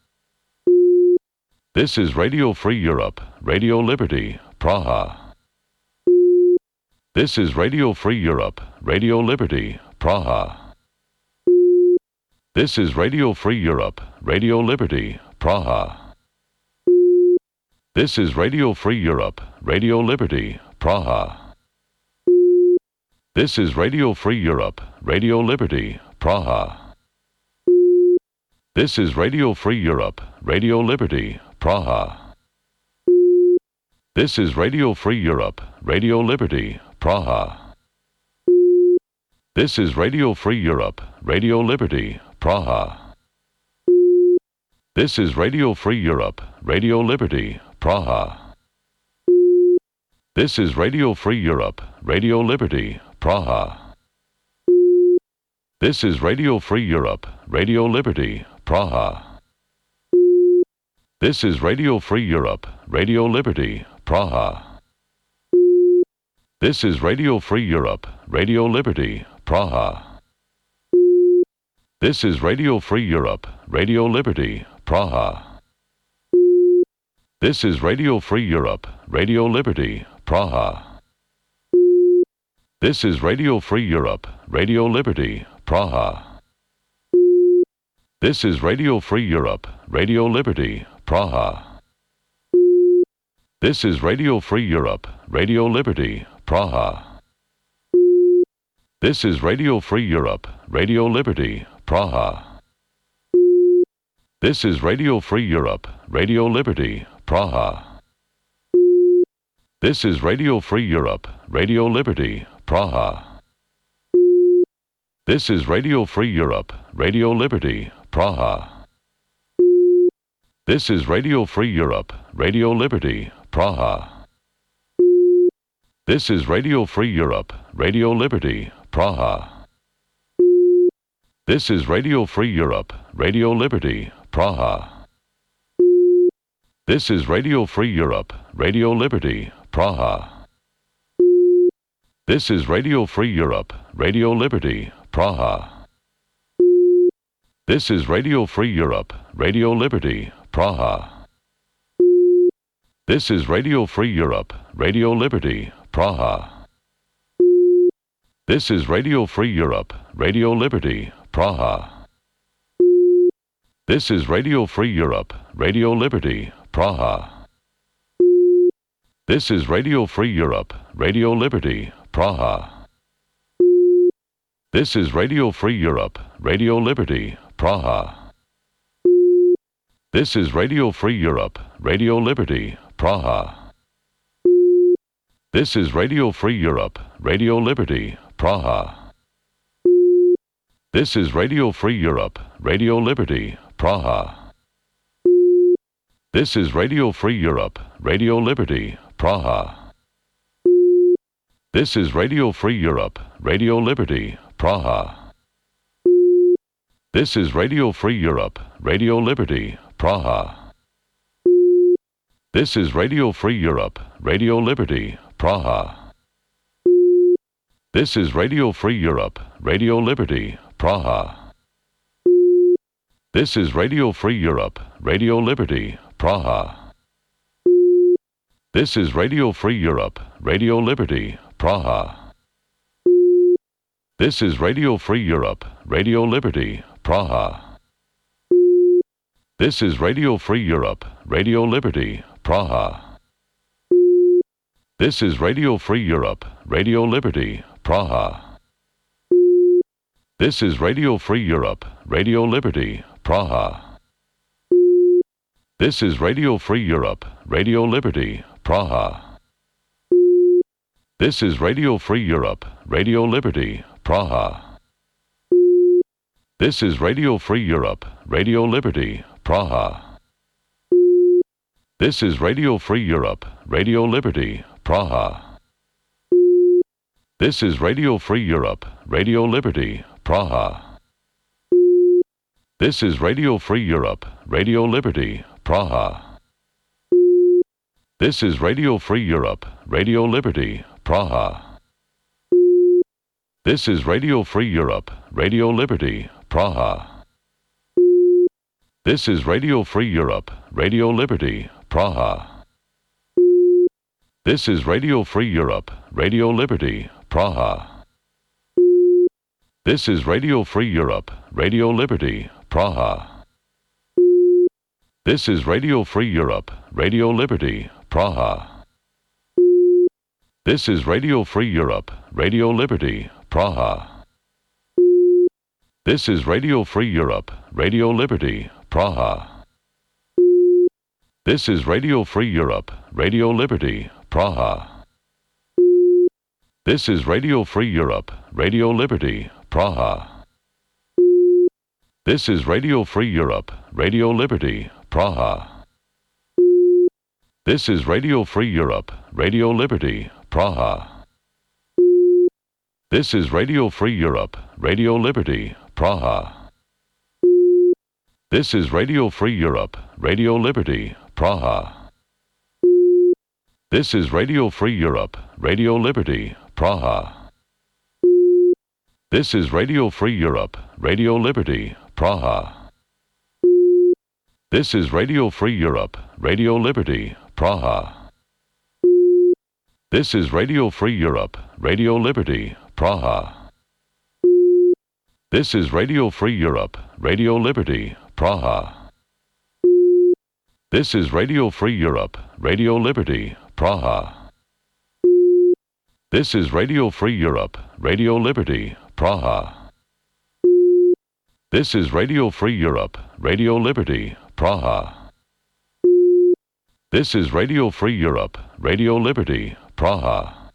This is Radio Free Europe, Radio Liberty, Praha. This is Radio Free Europe, Radio Liberty, Praha. This is Radio Free Europe, Radio Liberty, Praha. This is Radio Free Europe, Radio Liberty, Praha. This is Radio Free Europe, Radio Liberty, Praha. This is Radio Free Europe, Radio Liberty, Praha. This is Radio Free Europe, Radio Liberty, Praha. This is Radio Free Europe, Radio Liberty, Praha. This is Radio Free Europe, Radio Liberty, Praha. This is Radio Free Europe, Radio Liberty, Praha. This is Radio Free Europe, Radio Liberty, Praha. This is Radio Free Europe, Radio Liberty, Praha. This is Radio Free Europe, Radio Liberty, Praha. This is Radio Free Europe, Radio Liberty, Praha. This is Radio Free Europe, Radio Liberty, Praha. This is Radio Free Europe, Radio Liberty, Praha. This is Radio Free Europe, Radio Liberty, Praha. This is Radio Free Europe, Radio Liberty, Praha. This is Radio Free Europe, Radio Liberty, Praha. This is Radio Free Europe, Radio Liberty, Praha. This is Radio Free Europe, Radio Liberty, Praha. This is Radio Free Europe, Radio Liberty, Praha. This is Radio Free Europe, Radio Liberty, Praha. This is Radio Free Europe, Radio Liberty, Praha. This is Radio Free Europe, Radio Liberty, Praha. This is Radio Free Europe, Radio Liberty, Praha. This is Radio Free Europe, Radio Liberty, Praha. This is Radio Free Europe, Radio Liberty, Praha. This is Radio Free Europe, Radio Liberty, Praha. This is Radio Free Europe, Radio Liberty, Praha. This is Radio Free Europe, Radio Liberty, Praha. This is Radio Free Europe, Radio Liberty, Praha. This is Radio Free Europe, Radio Liberty, Praha. This is Radio Free Europe, Radio Liberty, Praha. This is Radio Free Europe, Radio Liberty, Praha. This is Radio Free Europe, Radio Liberty, Praha. This is Radio Free Europe, Radio Liberty, Praha. This is Radio Free Europe, Radio Liberty, Praha. This is Radio Free Europe, Radio Liberty, Praha. This is Radio Free Europe, Radio Liberty, Praha. This is Radio Free Europe, Radio Liberty, Praha. This is Radio Free Europe, Radio Liberty, Praha. This is Radio Free Europe, Radio Liberty, Praha. This is Radio Free Europe, Radio Liberty, Praha. This is Radio Free Europe, Radio Liberty, Praha. This is Radio Free Europe, Radio Liberty, Praha. This is Radio Free Europe, Radio Liberty, Praha. This is Radio Free Europe, Radio Liberty, Praha. This is Radio Free Europe, Radio Liberty, Praha. This is Radio Free Europe, Radio Liberty, Praha. This is Radio Free Europe, Radio Liberty, Praha. This is Radio Free Europe, Radio Liberty, Praha. This is Radio Free Europe, Radio Liberty, Praha. This is Radio Free Europe, Radio Liberty, Praha. This is Radio Free Europe, Radio Liberty, Praha. This is Radio Free Europe, Radio Liberty, Praha. This is Radio Free Europe, Radio Liberty, Praha. This is Radio Free Europe, Radio Liberty, Praha. This is Radio Free Europe, Radio Liberty, Praha. This is Radio Free Europe, Radio Liberty, Praha. This is Radio Free Europe, Radio Liberty, Praha. This is Radio Free Europe, Radio Liberty, Praha. This is Radio Free Europe, Radio Liberty, Praha. This is Radio Free Europe, Radio Liberty, Praha. This is Radio Free Europe, Radio Liberty, Praha. This is Radio Free Europe, Radio Liberty, Praha. This is Radio Free Europe, Radio Liberty, Praha. This is Radio Free Europe, Radio Liberty, Praha. This is Radio Free Europe, Radio Liberty, Praha. This is Radio Free Europe, Radio Liberty, Praha. This is Radio Free Europe, Radio Liberty, Praha. This is Radio Free Europe, Radio Liberty, Praha. This is Radio Free Europe, Radio Liberty, Praha. This is Radio Free Europe, Radio Liberty, Praha. This is Radio Free Europe, Radio Liberty, Praha. This is Radio Free Europe, Radio Liberty, Praha.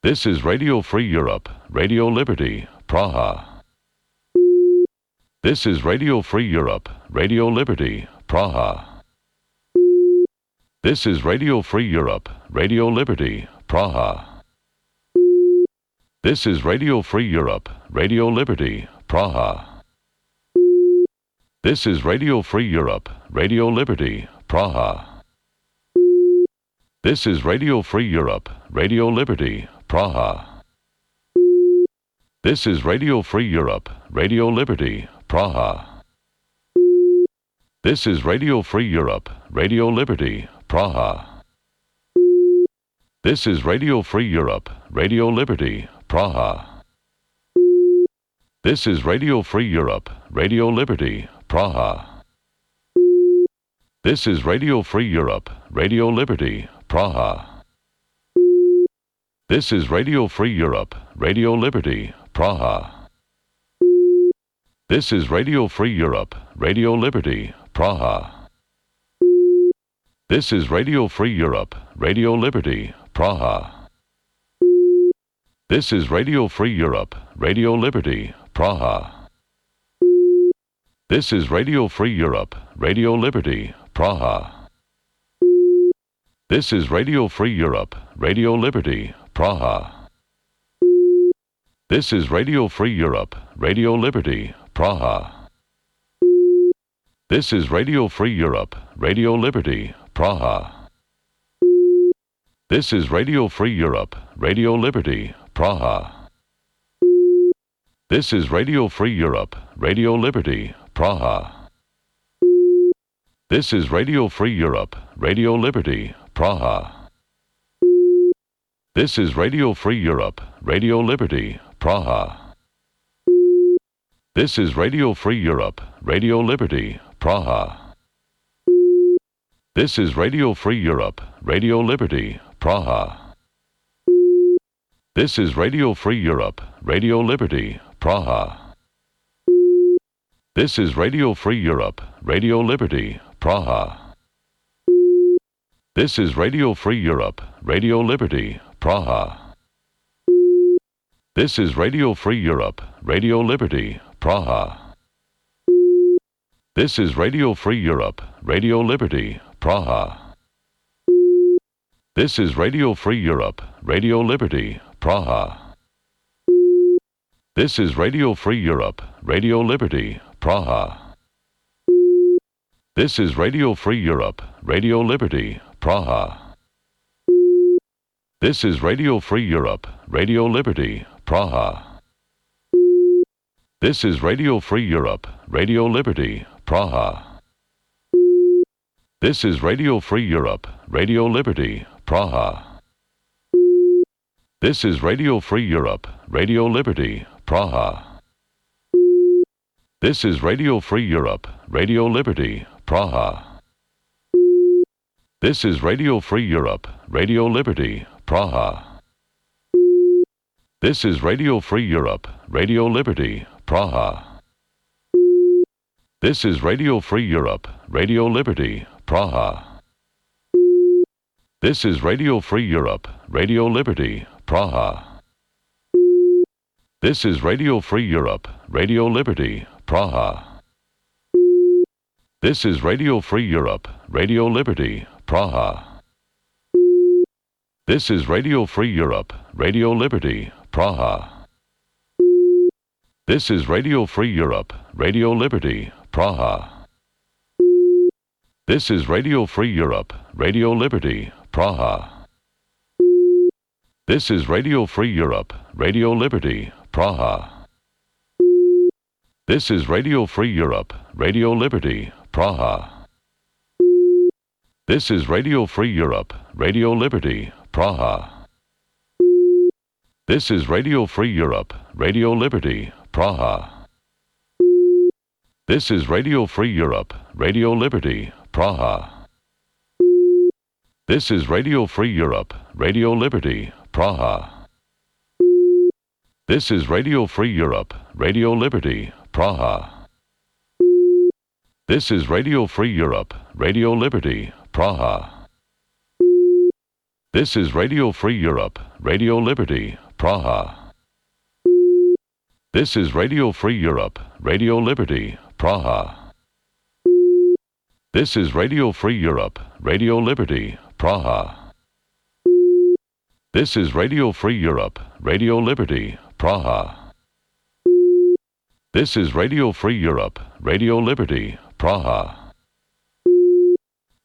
This is Radio Free Europe, Radio Liberty, Praha. This is Radio Free Europe, Radio Liberty, Praha. This is Radio Free Europe, Radio Liberty, Praha. This is Radio Free Europe, Radio Liberty, Praha. This is Radio Free Europe, Radio Liberty, Praha. This is Radio Free Europe, Radio Liberty, Praha. This is Radio Free Europe, Radio Liberty, Praha. This is Radio Free Europe, Radio Liberty, Praha. This is Radio Free Europe, Radio Liberty, Praha. This is Radio Free Europe, Radio Liberty, Praha. This is Radio Free Europe, Radio Liberty, Praha. This is Radio Free Europe, Radio Liberty, Praha. This is Radio Free Europe, Radio Liberty, Praha. This is Radio Free Europe, Radio Liberty, Praha. This is Radio Free Europe, Radio Liberty, Praha. This is Radio Free Europe, Radio Liberty, Praha. This is Radio Free Europe, Radio Liberty, Praha. This is Radio Free Europe, Radio Liberty, Praha. This is Radio Free Europe, Radio Liberty, Praha. This is Radio Free Europe, Radio Liberty, Praha. This is Radio Free Europe, Radio Liberty, Praha. This is Radio Free Europe, Radio Liberty, Praha. This is Radio Free Europe, Radio Liberty, Praha. This is Radio Free Europe, Radio Liberty, Praha. This is Radio Free Europe, Radio Liberty, Praha. This is Radio Free Europe, Radio Liberty, Praha. This is Radio Free Europe, Radio Liberty, Praha. This is Radio Free Europe, Radio Liberty, Praha. This is Radio Free Europe, Radio Liberty, Praha. This is Radio Free Europe, Radio Liberty, Praha. This is Radio Free Europe, Radio Liberty, Praha. This is Radio Free Europe, Radio Liberty, Praha. This is Radio Free Europe, Radio Liberty, Praha. This is Radio Free Europe, Radio Liberty, Praha. This is Radio Free Europe, Radio Liberty, Praha. This is Radio Free Europe, Radio Liberty, Praha. This is Radio Free Europe, Radio Liberty, Praha. This is Radio Free Europe, Radio Liberty, Praha. This is Radio Free Europe, Radio Liberty, Praha. This is Radio Free Europe, Radio Liberty, Praha. This is Radio Free Europe, Radio Liberty, Praha. This is Radio Free Europe, Radio Liberty, Praha. This is Radio Free Europe, Radio Liberty, Praha. This is Radio Free Europe, Radio Liberty, Praha. This is Radio Free Europe, Radio Liberty, Praha. This is Radio Free Europe, Radio Liberty, Praha. This is Radio Free Europe, Radio Liberty, Praha. This is Radio Free Europe, Radio Liberty, Praha. This is Radio Free Europe, Radio Liberty, Praha. This is Radio Free Europe, Radio Liberty, Praha. This is Radio Free Europe, Radio Liberty, Praha. This is Radio Free Europe, Radio Liberty, Praha. This is Radio Free Europe, Radio Liberty, Praha. This is Radio Free Europe, Radio Liberty, Praha. This is Radio Free Europe, Radio Liberty, Praha. This is Radio Free Europe, Radio Liberty, Praha. This is Radio Free Europe, Radio Liberty, Praha. This is Radio Free Europe, Radio Liberty, Praha. This is Radio Free Europe, Radio Liberty, Praha. This is Radio Free Europe, Radio Liberty, Praha.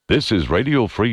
This is Radio Free